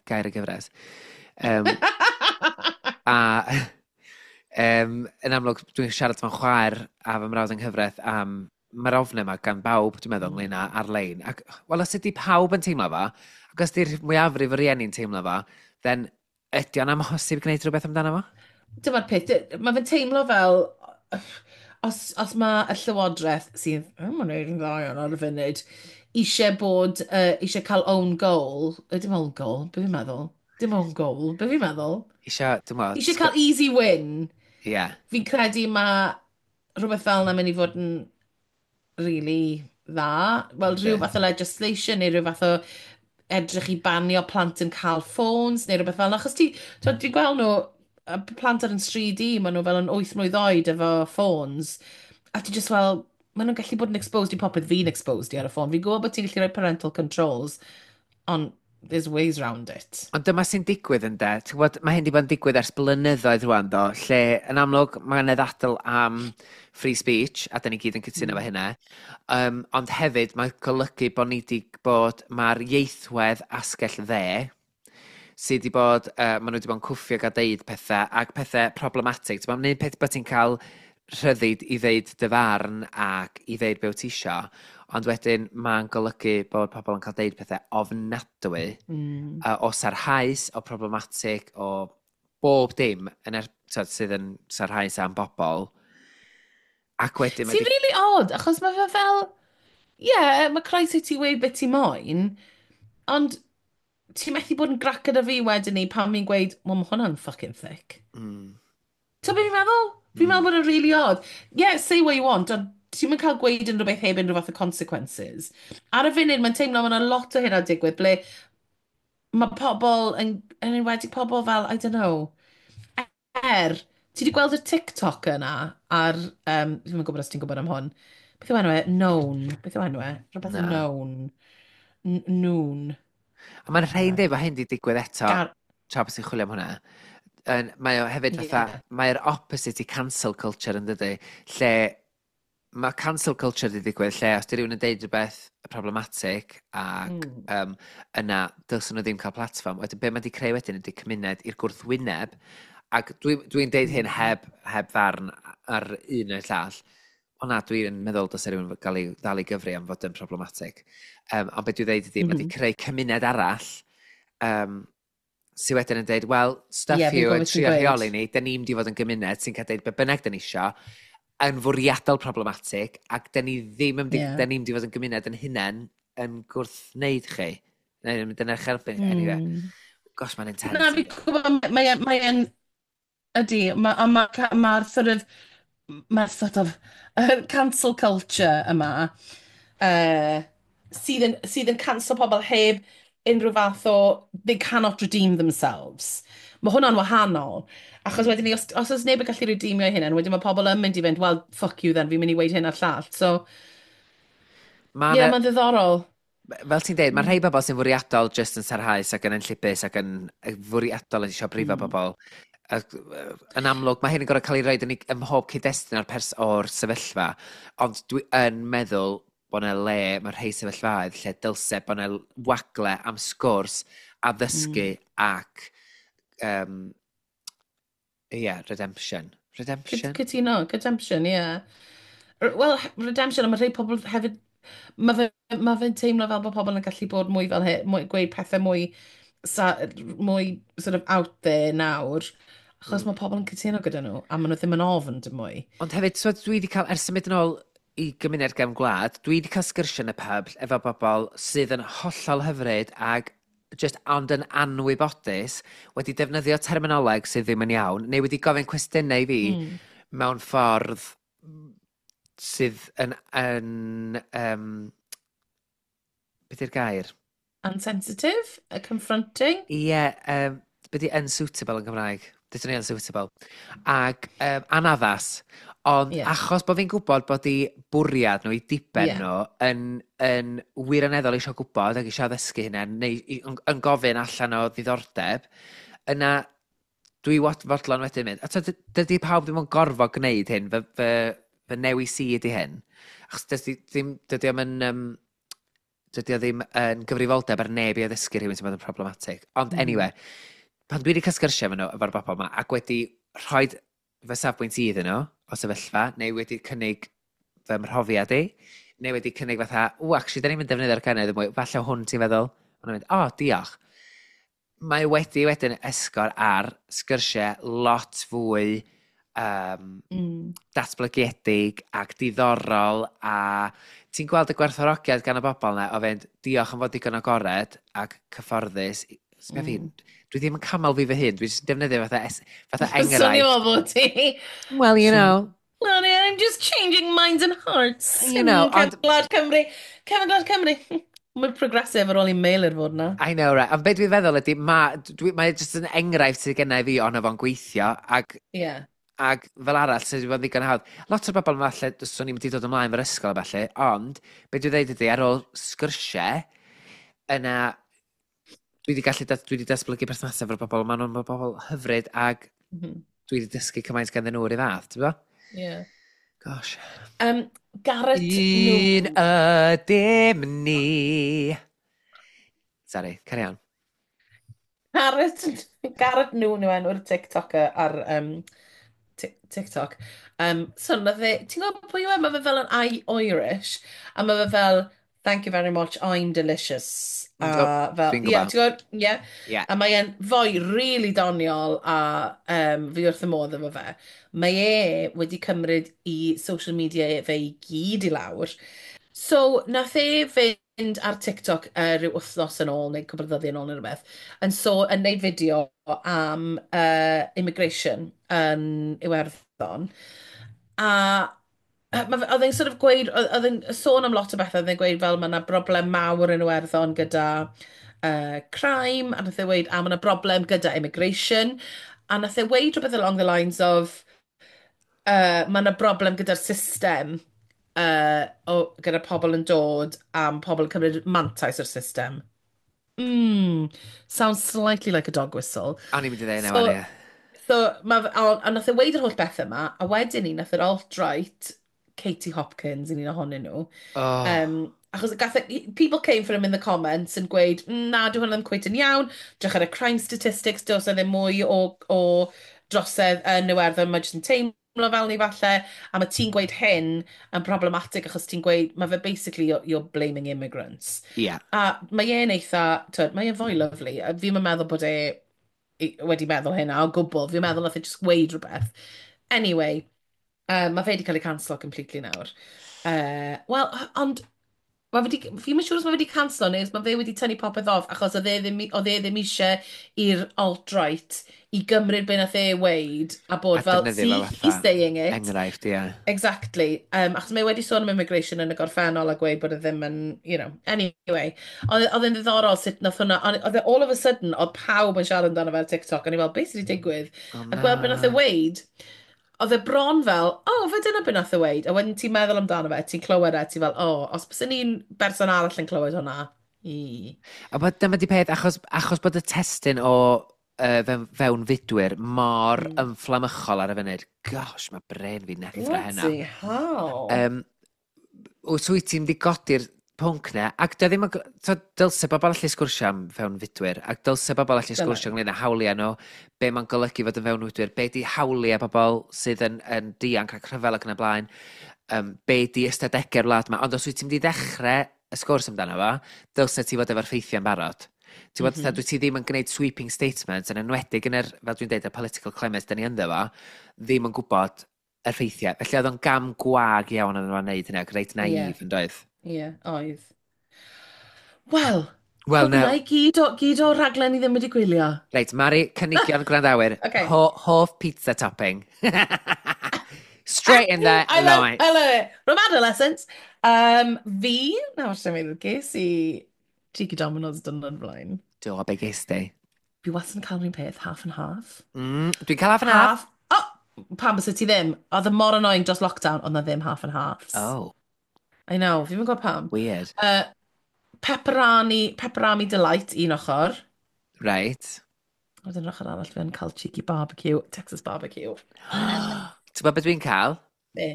#gairgyfres. A yn amlwg, dwi'n siarad efo'n chwaer a fy mrawd yng nghyfraith am mae'r ofn yma gan bawb, dwi'n meddwl, ynglyn â ar-lein. Ac, wel, os ydy pawb yn teimlo fo, ac os ydy'r mwyafrif o rieni'n teimlo fo, then ydy o'n amhosib gwneud rhywbeth amdano fo? Dyma'r peth, mae fe'n teimlo fel, os mae y llywodraeth sydd, oh, mae'n neud yn dda iawn ar y funud, eisiau cael own goal, dim own goal, be fi'n meddwl? Dim own goal, be fi'n meddwl? Isio, dwi'n meddwl. Eisiau cael easy win. Fi'n credu mae rhywbeth fel yna mynd i fod yn really dda. Wel, rhyw fath o legislation neu rhyw fath o edrych i banio plant yn cael ffôns neu rhywbeth fel yna. Achos ti, ti'n gweld nhw, y plant ar yn stryd i, maen nhw fel yn 8 mlwydd oed efo ffôns. A ti just fel, maen nhw'n gallu bod yn exposed i popeth fi'n exposed i ar y ffôn. Fi'n gwybod bod ti'n gallu rhoi parental controls, ond there's ways round it. Ond dyma sy'n digwydd yn de. Ti'n gwybod, mae hyn wedi bod yn digwydd ers blynyddoedd rwan do, lle yn amlwg mae yna ddadl am free speech, a da ni gyd yn cytuno efo hynna. Ond hefyd mae'n golygu bod ni wedi bod, mae'r ieithwedd asgell dde, sydd wedi bod, maen nhw wedi bod yn cwffio a deud pethau, ac pethau problematic. Ti'n gwybod, peth bod ti'n cael rhyddid i ddeud dy farn ac i ddeud be wyt ti isio, ond wedyn mae'n golygu bod pobl yn cael deud pethau ofnadwy o sarhaus, o problematic, o bob dim yn t'od, sydd yn sarhaus am bobl. Ac wedyn mae Sy'n really odd, achos mae fe fel, ie, yeah, mae croeso i ti weud beth ti moyn, ond ti'n methu bod yn grac gyda fi wedyn ni pan fi'n gweud, "Wel, mae hwnna'n fucking thick." Ti'n beth fi'n meddwl? Fi'n meddwl bod yn really odd. Yeah, say what you want, ond ti'n mynd cael gweud unrhyw beth heb unrhyw fath o consequences. Ar y funud, mae'n teimlo mae yna lot o hynna digwydd, ble mae pobl, yn enwedig pobl fel, I don't know, ti wedi gweld y TikTok yna ar, fi'n gwybod os ti'n gwybod am hwn, beth yw enw e? Known. Beth yw enw e? Rhywbeth Na. Known. Noon. A mae'n rhaid dweud bod hyn wedi digwydd eto, tra bod ti'n chwilio am hwnna. Mae o hefyd fatha, mae'r opposite i cancel culture yn dydy, lle mae cancel culture wedi digwydd, lle os di rhywun yn deud rhywbeth problematic ac yna dylsyn nhw ddim cael platform, wedyn be mae wedi creu wedyn ydy cymuned i'r gwrthwyneb, ac dwi deud hyn heb farn ar un neu'r llall, ond na, dwi'n meddwl dylse rhywun gael ei ddal i gyfri am fod yn problematic. Ond beth dwi'n dweud ydy, mae wedi creu cymuned arall sydd wedyn yn dweud, "Well, stuff Ie, fi'n you gwybod yn beth ti'n trio gweud. rheoli ni, da ni'n mynd i fod yn gymuned sy'n cael deud be bynnag da ni isio, yn fwriadol problematic, ac da ni ddim yn mynd i, da ni'n mynd i fod yn gymuned yn hunain yn gwrthwneud chi. Neu yn mynd yn eich erbyn. Anyway, gosh, mae'n intense. Na, fi'n gwybod, mae ydy, mae'r ma, ma sort of, mae'r sort of cancel culture yma, sydd yn cancel pobl heb unrhyw fath o, they cannot redeem themselves. Mae hwnna'n wahanol. Achos wedyn ni, os oes neb yn gallu redeemio eu hunain, wedyn mae pobl yn mynd i fynd, "Well, fuck you then, fi'n mynd i weud hyn a'r llall." So, Ma' ie, yeah, 'na- mae'n ddiddorol. Fel ti'n deud, mae rhai bobl sy'n fwriadol just yn sarhaus ac yn enllibus ac yn fwriadol yn eisiau brifo bobl. Ac, yn amlwg, mae hyn yn gorfod cael ei roed ym mhob cyd-destun o'r sefyllfa. Ond dwi yn meddwl bod yna le, mae rhai sefyllfaoedd lle dylse bod yna wagle am sgwrs, addysgu ac, yeah, redemption. Redemption? Cytuno, redemption, ie. Yeah. Wel, redemption, a mae rhai pobl hefyd, ma fe'n teimlo fel bod pobl yn gallu bod mwy fel he, mwy, gweud pethau mwy, mwy sort of out there nawr, achos mae pobl yn cytuno gyda nhw, a maen nhw ddim yn ofn dim mwy. Ond hefyd, so dwi wedi cael, ers symud yn ôl i gymuned gefn gwlad, dwi wedi cael sgyrsiau yn y pub efo bobl sydd yn hollol hyfryd ag just ond yn anwybodus, wedi defnyddio terminoleg sydd ddim yn iawn, neu wedi gofyn cwestiynau i fi mewn ffordd sydd yn, beth yw'r gair? Unsensitive, a confronting. Ie, beth yw unsuitable yn Gymraeg? Dydyn ni unsuitable. Ac anaddas. Ond achos bod fi'n gwybod bod i bwriad nhw, i diben nhw, yn wirioneddol eisiau gwybod ac eisiau addysgu hynna, neu yn gofyn allan o ddiddordeb, yna dwi fodlon wedyn mynd. A t'od, dydy pawb ddim yn gorfod gwneud hyn, fy newis i ydy hyn. Achos dydy o ddim yn gyfrifoldeb ar neb i addysgu rhywun sy'n bod yn problematic. Ond anyway, pan dwi wedi cael sgyrsiau efo nhw, efo'r bobl yma, ac wedi rhoi fy safbwynt i iddyn nhw o sefyllfa, neu wedi cynnig fy mhrofiad i, neu wedi cynnig fatha, "W, actually, da ni'n mynd defnyddio'r cynnydd mwy, falle hwn ti'n feddwl." Ond nhw'n mynd, "O, oh, diolch." Mae wedi wedyn esgor ar sgyrsiau lot fwy datblygiedig ac diddorol, a ti'n gweld y gwerthfawrogiad gan y bobl yna o fynd, "Diolch am fod digon agored ac cyfforddus." Sbia fi, dwi ddim yn camol fi fy hun, dwi'n jyst defnyddio fatha Swnio enghraifft. fel bod ti. Well, you know. Well, yeah, I'm just changing minds and hearts. You know. Cefn Gwlad Cymru. Cefn Gwlad Cymru. Mwy progressive ar ôl i Meilir fod na. I know, right. Ond beth dwi'n feddwl ydy, mae jyst yn enghraifft sydd gennau fi ono fo'n gweithio, ac, ac fel arall, sydd wedi bod yn ddigon hawdd. Lot o'r bobl yma, falle, swn i'n mynd i dod ymlaen fo'r ysgol a falle, ond beth dwi'n dweud ydy, ar ôl sgyrsiau, yna, dwi wedi datblygu perthnasau efo'r bobl, maen nhw'n bobl hyfryd, ac dwi wedi dysgu cymaint ganddyn nhw o'r un fath, ti'n gwbod? Yeah. Gosh. Garrett Un Noon. ydym ni. Sorry, carry on. Garrett Noon yw enw'r TikToker ar TikTok. So, nath e, ti'n gwybod pwy yw e? Mae fe fel yn Irish, a mae fe fel, "Thank you very much, I'm delicious." A fel, Dwi'n ie, gwbod. ti'n gwybod? Ie. Ie. A mae e'n foi really doniol a fi wrth y modd efo fe. Mae e wedi cymryd i social media fe i gyd i lawr. So, nath e fynd ar TikTok rhyw wythnos yn ôl, neu cwpl o ddyddiau yn ôl neu rhywbeth, yn so, yn neud fideo am immigration yn Iwerddon. A oedd e'n sort of gweud, oedd e'n sôn am lot o bethau, oedd e'n gweud fel mae yna broblem mawr yn Iwerddon gyda crime, a nath e weud, a mae yna broblem gyda immigration, a nath e weud rhywbeth along the lines of, mae yna broblem gyda'r system, gyda pobl yn dod, am pobl yn cymryd mantais o'r system. Sounds slightly like a dog whistle. O'n i'n mynd i ddeud So, yna, ie. so a nath e weud yr holl bethau yma, a wedyn ni, nath yr alt-right, Katie Hopkins yn un ohonyn nhw. Oh. Achos people came for him in the comments yn gweud, "Na, dyw hwnna ddim cweit yn iawn, drych ar y crime statistics, does 'na ddim mwy o drosedd yn Iwerddon, mae jyst yn teimlo fel ni falle, a mae ti'n gweud hyn yn problematic achos ti'n gweud, mae fe basically, you're blaming immigrants." A mae e'n eitha, twyd, mae e'n fwy lovely, a fi'n meddwl bod e wedi meddwl hynna o gwbl, fi'n meddwl nath e just gweud rhywbeth. Anyway, mae fe wedi cael ei cancelo completely nawr. Wel, ond Mae wedi, fi'n siŵr os mae wedi canslo neu os mae fe wedi tynnu popeth off achos oedd e ddim eisiau i'r alt-right i gymryd be nath e weud a bod A fel, defnyddio see, fo fatha he's saying it. Enghraifft, ie. Exactly. Achos mae wedi sôn am immigration yn y gorffennol a gweud bod e ddim yn, anyway. Oedd e'n ddiddorol sut nath hwnna, ond oedd e all of a sudden, oedd pawb yn siarad amdano fe ar TikTok, a ni fel, beth sydd wedi digwydd? O, A gweld beth nath e na. weud, oedd e bron fel, oh, fe dyna beth nath e weud. A wedyn ti'n meddwl amdano fe, ti'n clywed e, ti'n fel, oh, os bys ni'n berson arall yn clywed hwnna, i. A bod dyma di peth, achos bod y testun o fewnfudwyr mor ymfflamychol ar y funud. Gosh, mae bren fi neffro heno. Bloody hell. Wyt ti'n mynd i godi'r pwnc na, ac dio ddim yn... So, dylse bobl allu sgwrsio am fewnfudwyr, ac dylse bobl allu Dyle. sgwrsio ynglyn â hawliau nhw, be mae'n golygu fod yn fewnfudwyr, be di hawliau bobl sydd yn dianc ac rhyfel ac yn y blaen, be di ystadegau'r wlad yma. Ond os wyt ti'n mynd i ddechrau y sgwrs amdano fo, dylse ti fod efo'r ffeithiau'n barod. Ti'n gwbod, dwi ti ddim yn gwneud sweeping statements, yn enwedig yn yr, fel dwi'n deud, y political climate da ni ynddo fo, ddim yn gwybod yr ffeithiau. Felly oedd o'n gam gwag iawn yn nhw'n neud hynny, ac reit naif yn doedd. Ie, yeah, oedd. Wel, Wel, hwnna na, i gyd o raglen i ddim wedi gwylio. reit, Mari, cynigion gwrandawyr, Okay. Hoff pizza topping. Straight in there, I love, right. I love it. From adolescence. Fi, na, os dwi'n meddwl, ges i cheeky Domino's dyn blaen. Do, be ges di? Fi wastad yn cael yr un peth, half and half. Dwi'n cael half and half. Half. Oh, pam bys ti ddim? Oedd y mor annoying dros lockdown, ond na ddim half and halves. Oh, I know, fi'n gwybod pam. weird. Pepperami Delight, un ochr. Right. Wedyn yr ochr arall fi'n cael cheeky barbecue, Texas barbecue. Ti'n gwybod beth dwi'n cael? Be?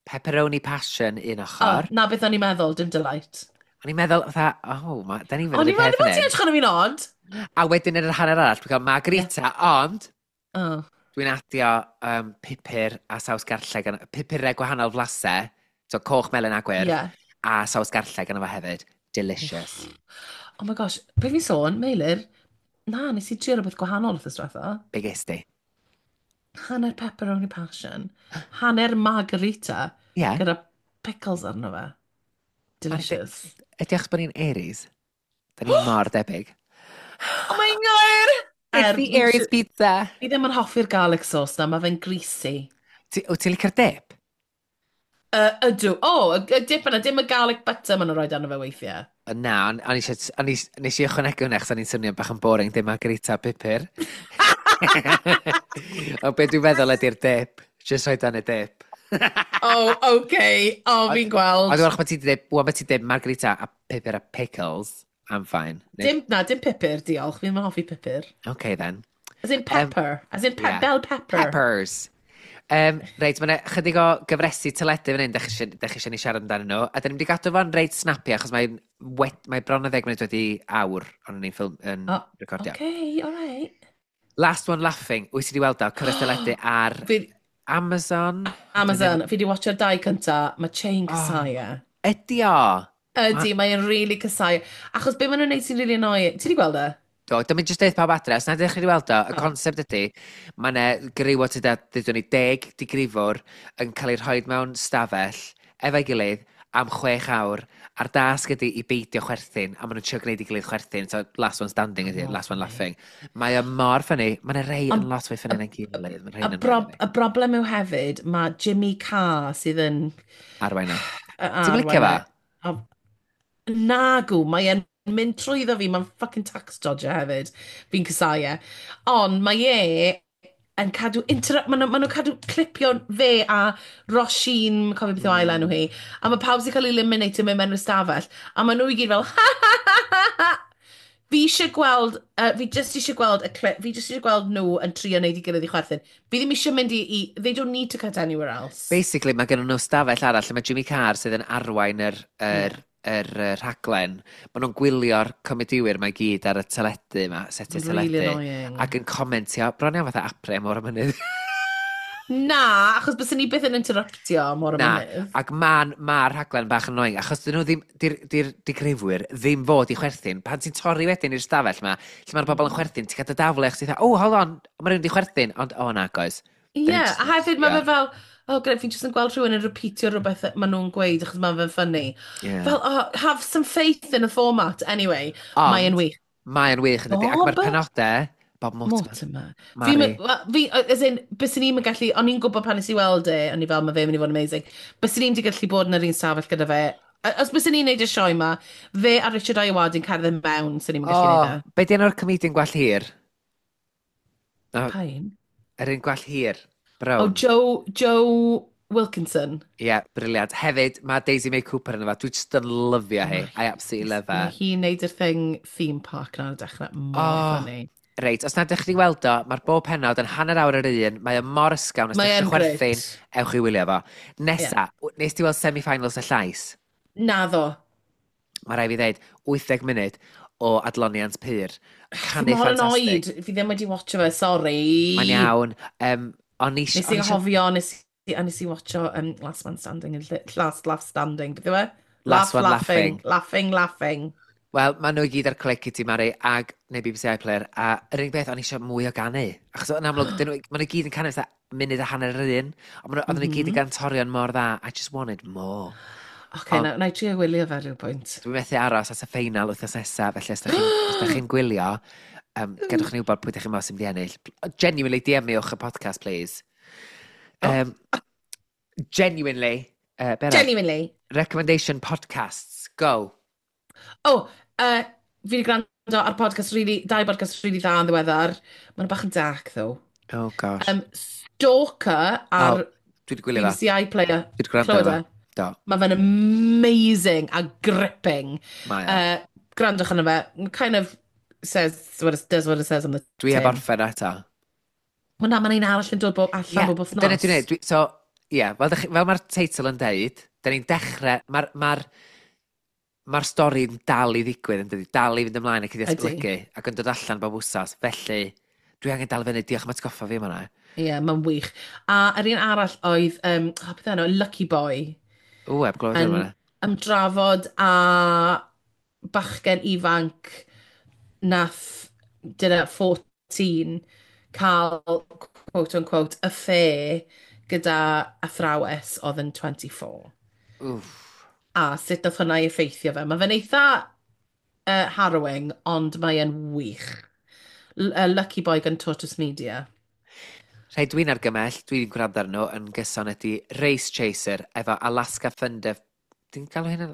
Pepperoni passion un Oh, ochr. na beth o'n i'n meddwl, dim Delight. O'n i'n meddwl, fatha, oh, ma, da ni'n O'n fynd i'n i'r peth meddwl bod yn ti'n edrych arno fi'n odd. A wedyn yn yr hanner arall, dwi'n cael margarita, ond Oh. dwi'n adio pupur a saws garlleg, pupurau gwahanol flasau, so coch, melyn a gwyrdd, a saws garlleg yna fo hefyd. Delicious. Oh my gosh, be fi'n sôn, Meilir, na, nes i trio rhywbeth gwahanol wrth diwetha. Be ges di? Hanner pepperoni passion, hanner margarita, gyda pickles arno fe. Delicious. Ydy achos bod ni'n Aries? Da ni mor debyg. Oh my god! It's the Aries pizza. Fi ddim yn hoffi'r garlic sauce na, mae fe'n greasy. Wyt ti'n licio'r dip? Ydw. O, oh, y dip yna, dim y garlic butter maen nhw'n rhoi arno fe weithiau. Na, o'n i nes i ychwanegu hwnna achos o'n i'n swnio bach yn boring, dim margarita a pupur. O be dwi'n feddwl ydy'r dip. Just rhoi dan y dip. Oh, okay. Oh, fi'n gweld. Ond dwi'n meddwl bod ti 'di deud, wan bod ti'n deud margarita a pupur a pickles, I'm fine. Dim, na, dim pupur, diolch. Fi'n hoffi pupur. Okay then. As in pepper. As in yeah. bell pepper. Peppers. Reit, mae yna chydig o gyfresi teledu fan hyn, dach chi eisiau ni siarad amdanyn nhw. A dyn ni'n mynd i gadw fo'n reit snappy, achos mae'n mae bron o 10 munud wedi awr ond ni'n ffilm yn Oh, recordio. Okay, all right. Last One Laughing, wyt ti wedi weld o, cyfres teledu ar Amazon? Amazon, fi wedi watcho'r dau cynta, mae Chain casau e. Ydy o? Ydy, mae'n really casau. Achos be maen nhw'n neud sy'n really annoying. Ti wedi gweld e? Do, dwi'n mynd jyst deud pawb adre, os na ydych chi wedi weld o, y concept ydy, mae yna griw o tua, dydyn ni, 10 digrifwr yn cael ei rhoi mewn stafell efo'i gilydd am 6 awr, a'r dasg ydy i beidio chwerthin, a maen nhw'n trio gwneud i gilydd chwerthin, so last one standing ydy, last one laughing. Mae o mor ffynnu, mae yna rei yn lot fwy ffynnu na'n gilydd. Mae rhai yn Y broblem yw hefyd, mae Jimmy Carr sydd yn arwain o. Ti'n Ti'n licio fo? Nagw, mae e'n mynd trwyddo fi, mae'n fucking tax dodger hefyd. Fi'n casau e. Ond mae e yn cadw maen nhw'n cadw clipio fe a Roisin, cofio beth yw ail enw hi, a mae pawb sy'n cael ei eliminate yn mynd mewn i'r stafell, a maen nhw i gyd fel, ha ha ha ha ha. Fi eisiau gweld, fi just eisiau gweld y clip, fi just eisiau gweld nhw yn trio wneud i gilydd i chwerthin. Fi ddim eisiau mynd i, they don't need to cut anywhere else. Basically, mae gen nhw stafell arall lle mae Jimmy Carr sydd yn arwain yr rhaglen. Maen nhw'n gwylio'r comediwyr mae gyd ar y teledu yma, setiau Really teledu. annoying. Ac yn comentio, bron iawn fatha apre am o'r mynydd. Na, achos byswn ni byth yn interruptio mor y Na, mynydd. ac mae'r ma rhaglen bach yn annoying, achos dyn nhw ddim, di'r digrifwyr ddim fod i chwerthin. Pan ti'n torri wedyn i'r stafell yma, lle mae'r bobl yn chwerthin, ti'n cael dy daflu, achos ti'n dweud, oh, hold on, mae rhywun di chwerthin, ond, oh, na, guys. Ie, a hefyd mae fe fel, Oh, great, fi'n jyst yn gweld rhywun yn repeatio rhywbeth maen nhw'n gweud achos mae'n fe'n funny. Fel, oh, have some faith in the format. Anyway, mae'n wych. Mae'n wych yn dydi. Ac mae'r penodau, Bob Mortimer. Mortimer. Fi, as in, bys ni'n gallu, o'n i'n gwybod pan nes i weld e, o'n i fel, mae fe'n mynd i fod yn amazing. Bys ni'n di gallu bod yn yr un stafell gyda fe. Os bys ni'n neud y sioe ma, fe a Richard Ayoade yn cerdded mewn, sy'n ni'n gallu neud e. Be di enw'r comedian gwall hir? Pa un? Yr un gwall hir. Brown. Oh, Joe Wilkinson. Ie, yeah, brilliant. Hefyd, mae Daisy May Cooper yn efo. Dwi just yn lyfio hi. I absolutely love her. Mae hi'n neud yr thing theme park na ar y dechrau. Mor funny. Reit, os na ydych chi weld o, mae'r bob penod yn hanner awr yr un, mae o mor ysgawn, os ydych chi'n chwerthin, ewch i wylio fo. Nesa, nes ti weld semi-finals y Llais? Naddo. Mae rai fi ddeud, 80 munud o adloniant pur. Canu ffantastig. Mor annoyed, fi ddim wedi watcho fe, sorry. Mae'n iawn. Nes i anghofio, nes i watcho Last Man Standing, Last Laugh Standing, beth yw e? Last One Laughing. Laughing, Laughing. Wel, maen nhw i gyd ar Clic i ti, Mari, ag, neu BBC iPlayer, a yr unig beth, o'n i eisiau mwy o ganu. Achos yn amlwg, maen nhw i gyd yn canu fatha munud a hanner yr un, ond maen nhw, oedden nhw i gyd yn gantorion mor dda. I just wanted more. Oce, na i trio gwylio fe rhyw pwynt. Dwi'n methu aros at y ffeinal wythnos nesaf, felly os ydych chi'n gwylio, gadwch ni wybod pwy ydych chi'n meddwl sy'n mynd i ennill. Genuinely, DM-iwch y podcast, please. Genuinely. Genuinely. Recommendation podcasts, go. Oh, fi wedi gwrando ar podcast really, dau podcast really dda yn ddiweddar. Mae'n bach yn dark, though. Oh, gosh. Stalker ar dwi wedi gwylio fe. BBC iPlayer. Dwi wedi gwrando ar fe. Do. Mae fe'n amazing a gripping. Mae e. Gwrandwch arno fe. Kind of says what it, does what it says on the Dwi heb tin. orffen eto. Wel na, mae'n un arall yn dod bob allan bob wythnos. Dyna dwi'n neud. So, ie, yeah, fel mae'r teitl yn deud, da ni'n dechrau, mae'r mae'r stori'n dal i ddigwydd yn dydi, dal i fynd ymlaen ac i ddatblygu ac yn dod allan bob wsos. Felly, dwi angen dal fyny, diolch am atgoffa fi am hwnna. Ie, yeah, mae'n wych. A yr un arall oedd, beth enw, Lucky Boy. O, heb glywed am hwnna. Ymdrafod a bachgen ifanc nath, dyna 14, cael, quote unquote, affair gyda athrawes oedd yn 24. Wff. A sut nath hwnna i effeithio fe. Mae fe'n eitha harrowing, ond mae e'n wych. Lucky Boy gan Tortoise Media. Rhai dwi'n argymell, dwi'n gwrando arno yn gyson ydy Race Chaser efo Alaska Thunder... Dwi'n galw hynna...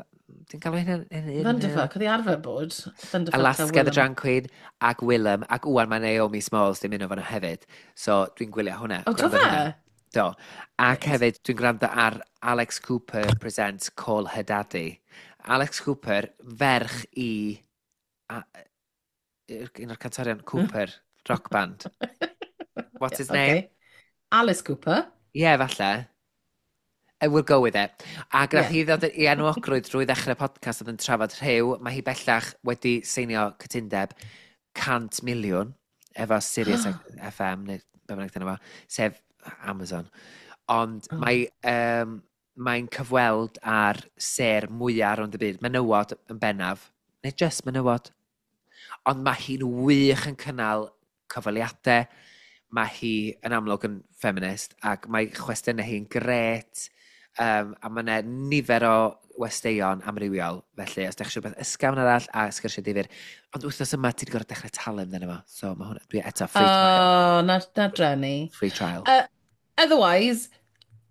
Dwi'n galw hynna... Thunderfuck, oedd hi arfer bod. Thunderfuck a Alaska the Willem. Drag Queen ac Willem, ac wwan mae Naomi Smalls ddim un o fanna hefyd. So dwi'n gwylio hwnna. O, do gwrando ar fe? hwnna. Do. Ac hefyd dwi'n gwrando ar Alex Cooper presents Call Her Daddy. Alex Cooper, ferch i... un o'r cantorion Cooper, rock band. What's his name? Okay. Alice Cooper. Ie, yeah, falle. We'll go with it. Ac nath hi ddod i enwogrwydd drwy ddechrau podcast oedd yn trafod rhyw. Mae hi bellach wedi seinio cytundeb 100 miliwn efo Sirius FM, neu be bynnag dyna fo, sef Amazon. Ond mae, mae'n cyfweld ar sêr mwyaf rownd y byd, menywod yn bennaf, neu just menywod. Ond mae hi'n wych yn cynnal cyfweliadau, mae hi yn amlwg yn feminist, ac mae chwestiynau hi'n gret, a mae yna nifer o westeion amrywiol, felly os ydych chi rhywbeth ysgafn arall a sgyrsiau difyr. Ond wythnos yma ti wedi gorfod dechrau talu amdano fo, so mae hwnna, dwi eto free trial. Oh, na dreni. Free trial. Otherwise,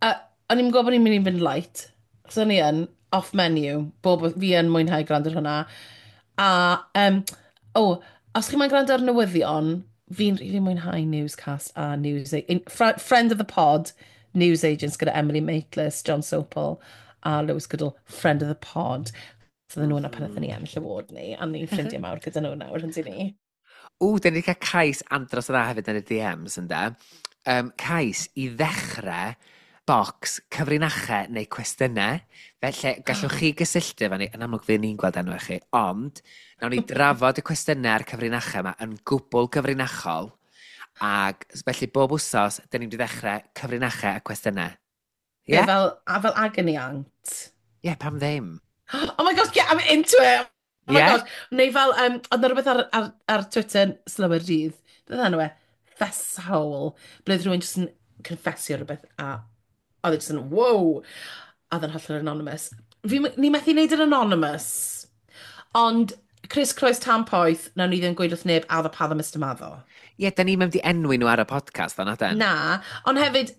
o'n i'n gwybod bod ni'n mynd i fynd light. So o'n i yn, off menu, bob, fi yn mwynhau gwrando ar hwnna. A, os chi'n moyn gwrando ar newyddion, fi'n rili mwynhau Newscast a News... Friend of the pod, News Agents gyda Emily Maitlis, John Sopel a Lewis Goodall, Friend of the Pod. So oedden nhw yna pan oedden ni ennill award ni, a ni'n ffrindiau mawr gyda nhw nawr, yndyn ni. Ww, dyn ni wedi cael cais andros o dda hefyd yn y DMs, ynde. Cais i ddechrau bocs cyfrinachau neu cwestiynau. Felly, gallwch chi gysylltu efo ni, yn amlwg fydd ni'n gweld enw chi, ond nawn ni drafod y cwestiynau a'r cyfrinachau yma yn gwbl gyfrinachol, ac felly bob wsos, dyn ni'n mynd i ddechrau cyfrinachau a cwestiynau. Ie? Ie? Fel, a fel agony aunt. Ie, yeah, pam ddim? Oh my gosh, yeah, I'm into it! Oh my Ie? gosh. Neu fel, oedd 'na rhywbeth ar Twitter slywyr dydd. Beth enw e? Fesshole. Ble oedd rhywun jyst yn confessio rhywbeth a Oedd e jyst yn, wow! A oedd yn hollol anonymous. Fi, ni methu wneud yn anonymous, ond Chris Croes Tan Poeth, nawn ni ddim gweud wrth neb addo paddo Mr Maddo. Ie, yeah, da ni'n mynd i enwi nhw ar y podcast, o'n aden? Na, ond hefyd,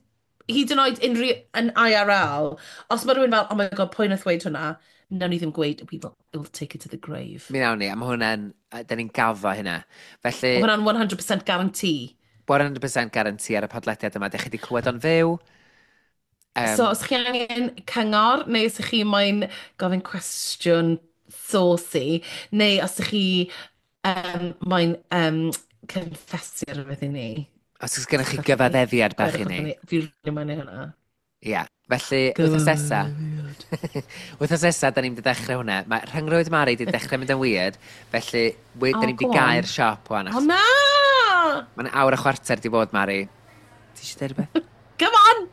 hyd yn oed unrhyw, yn IRL, os mae rhywun fel, "Oh my God, pwy nath weud hwnna?" Nawn ni ddim gweud, we will take it to the grave. Mi nawn ni, a mae hwnna'n, da ni'n gaddo hynna. Felly, Mae hwnna'n 100% guarantee. 100% guarantee ar y podlediad yma. Dych chi wedi clywed o'n fyw. So, os chi angen cyngor, neu os chi moyn gofyn cwestiwn saucy, neu os ych chi moyn confessio rhywbeth i ni. Os oes gennych chi gyfaddefiad bach i ni. Fi rili moyn neud hwnna. Ie. Yeah. Felly, wythnos nesa, wythnos nesa, da ni'n mynd i ddechrau hwnna. Mae rhyngrwyd Mari wedi dechrau mynd yn weird, felly Oh, da ni'n mynd i go on. gau'r siop wan. O na! Mae'n awr a chwarter di bod, Mari. Ti eisiau dweud rhywbeth? Come on!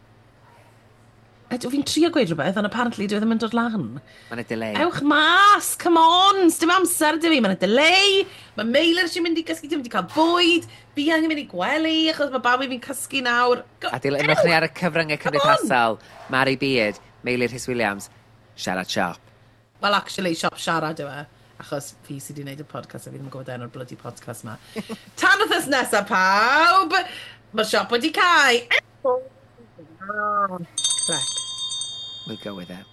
Ydw fi'n trio gweud rhywbeth, ond apparently dwi ddim yn dod lan. Mae'n y delay. Ewch mas, come on, sdim amser dy fi, mae'n delay, mae Meilir eisiau mynd i gysgu, dwi'n mynd i cael bwyd, fi angen mynd i gwely, achos mae babi fi'n cysgu nawr. A dilynwch ni ar y cyfryngau Come on. cymdeithasol. Mari Beard, Meilir Rhys Williams, Siarad Siop. Well, actually, siop siarad yw e, achos fi sydd wedi gwneud y podcast a fi ddim yn gwybod enw'r bloody podcast ma. Tan wythnos nesaf, pawb, mae'r siop wedi cau. Clic. We'll go with it.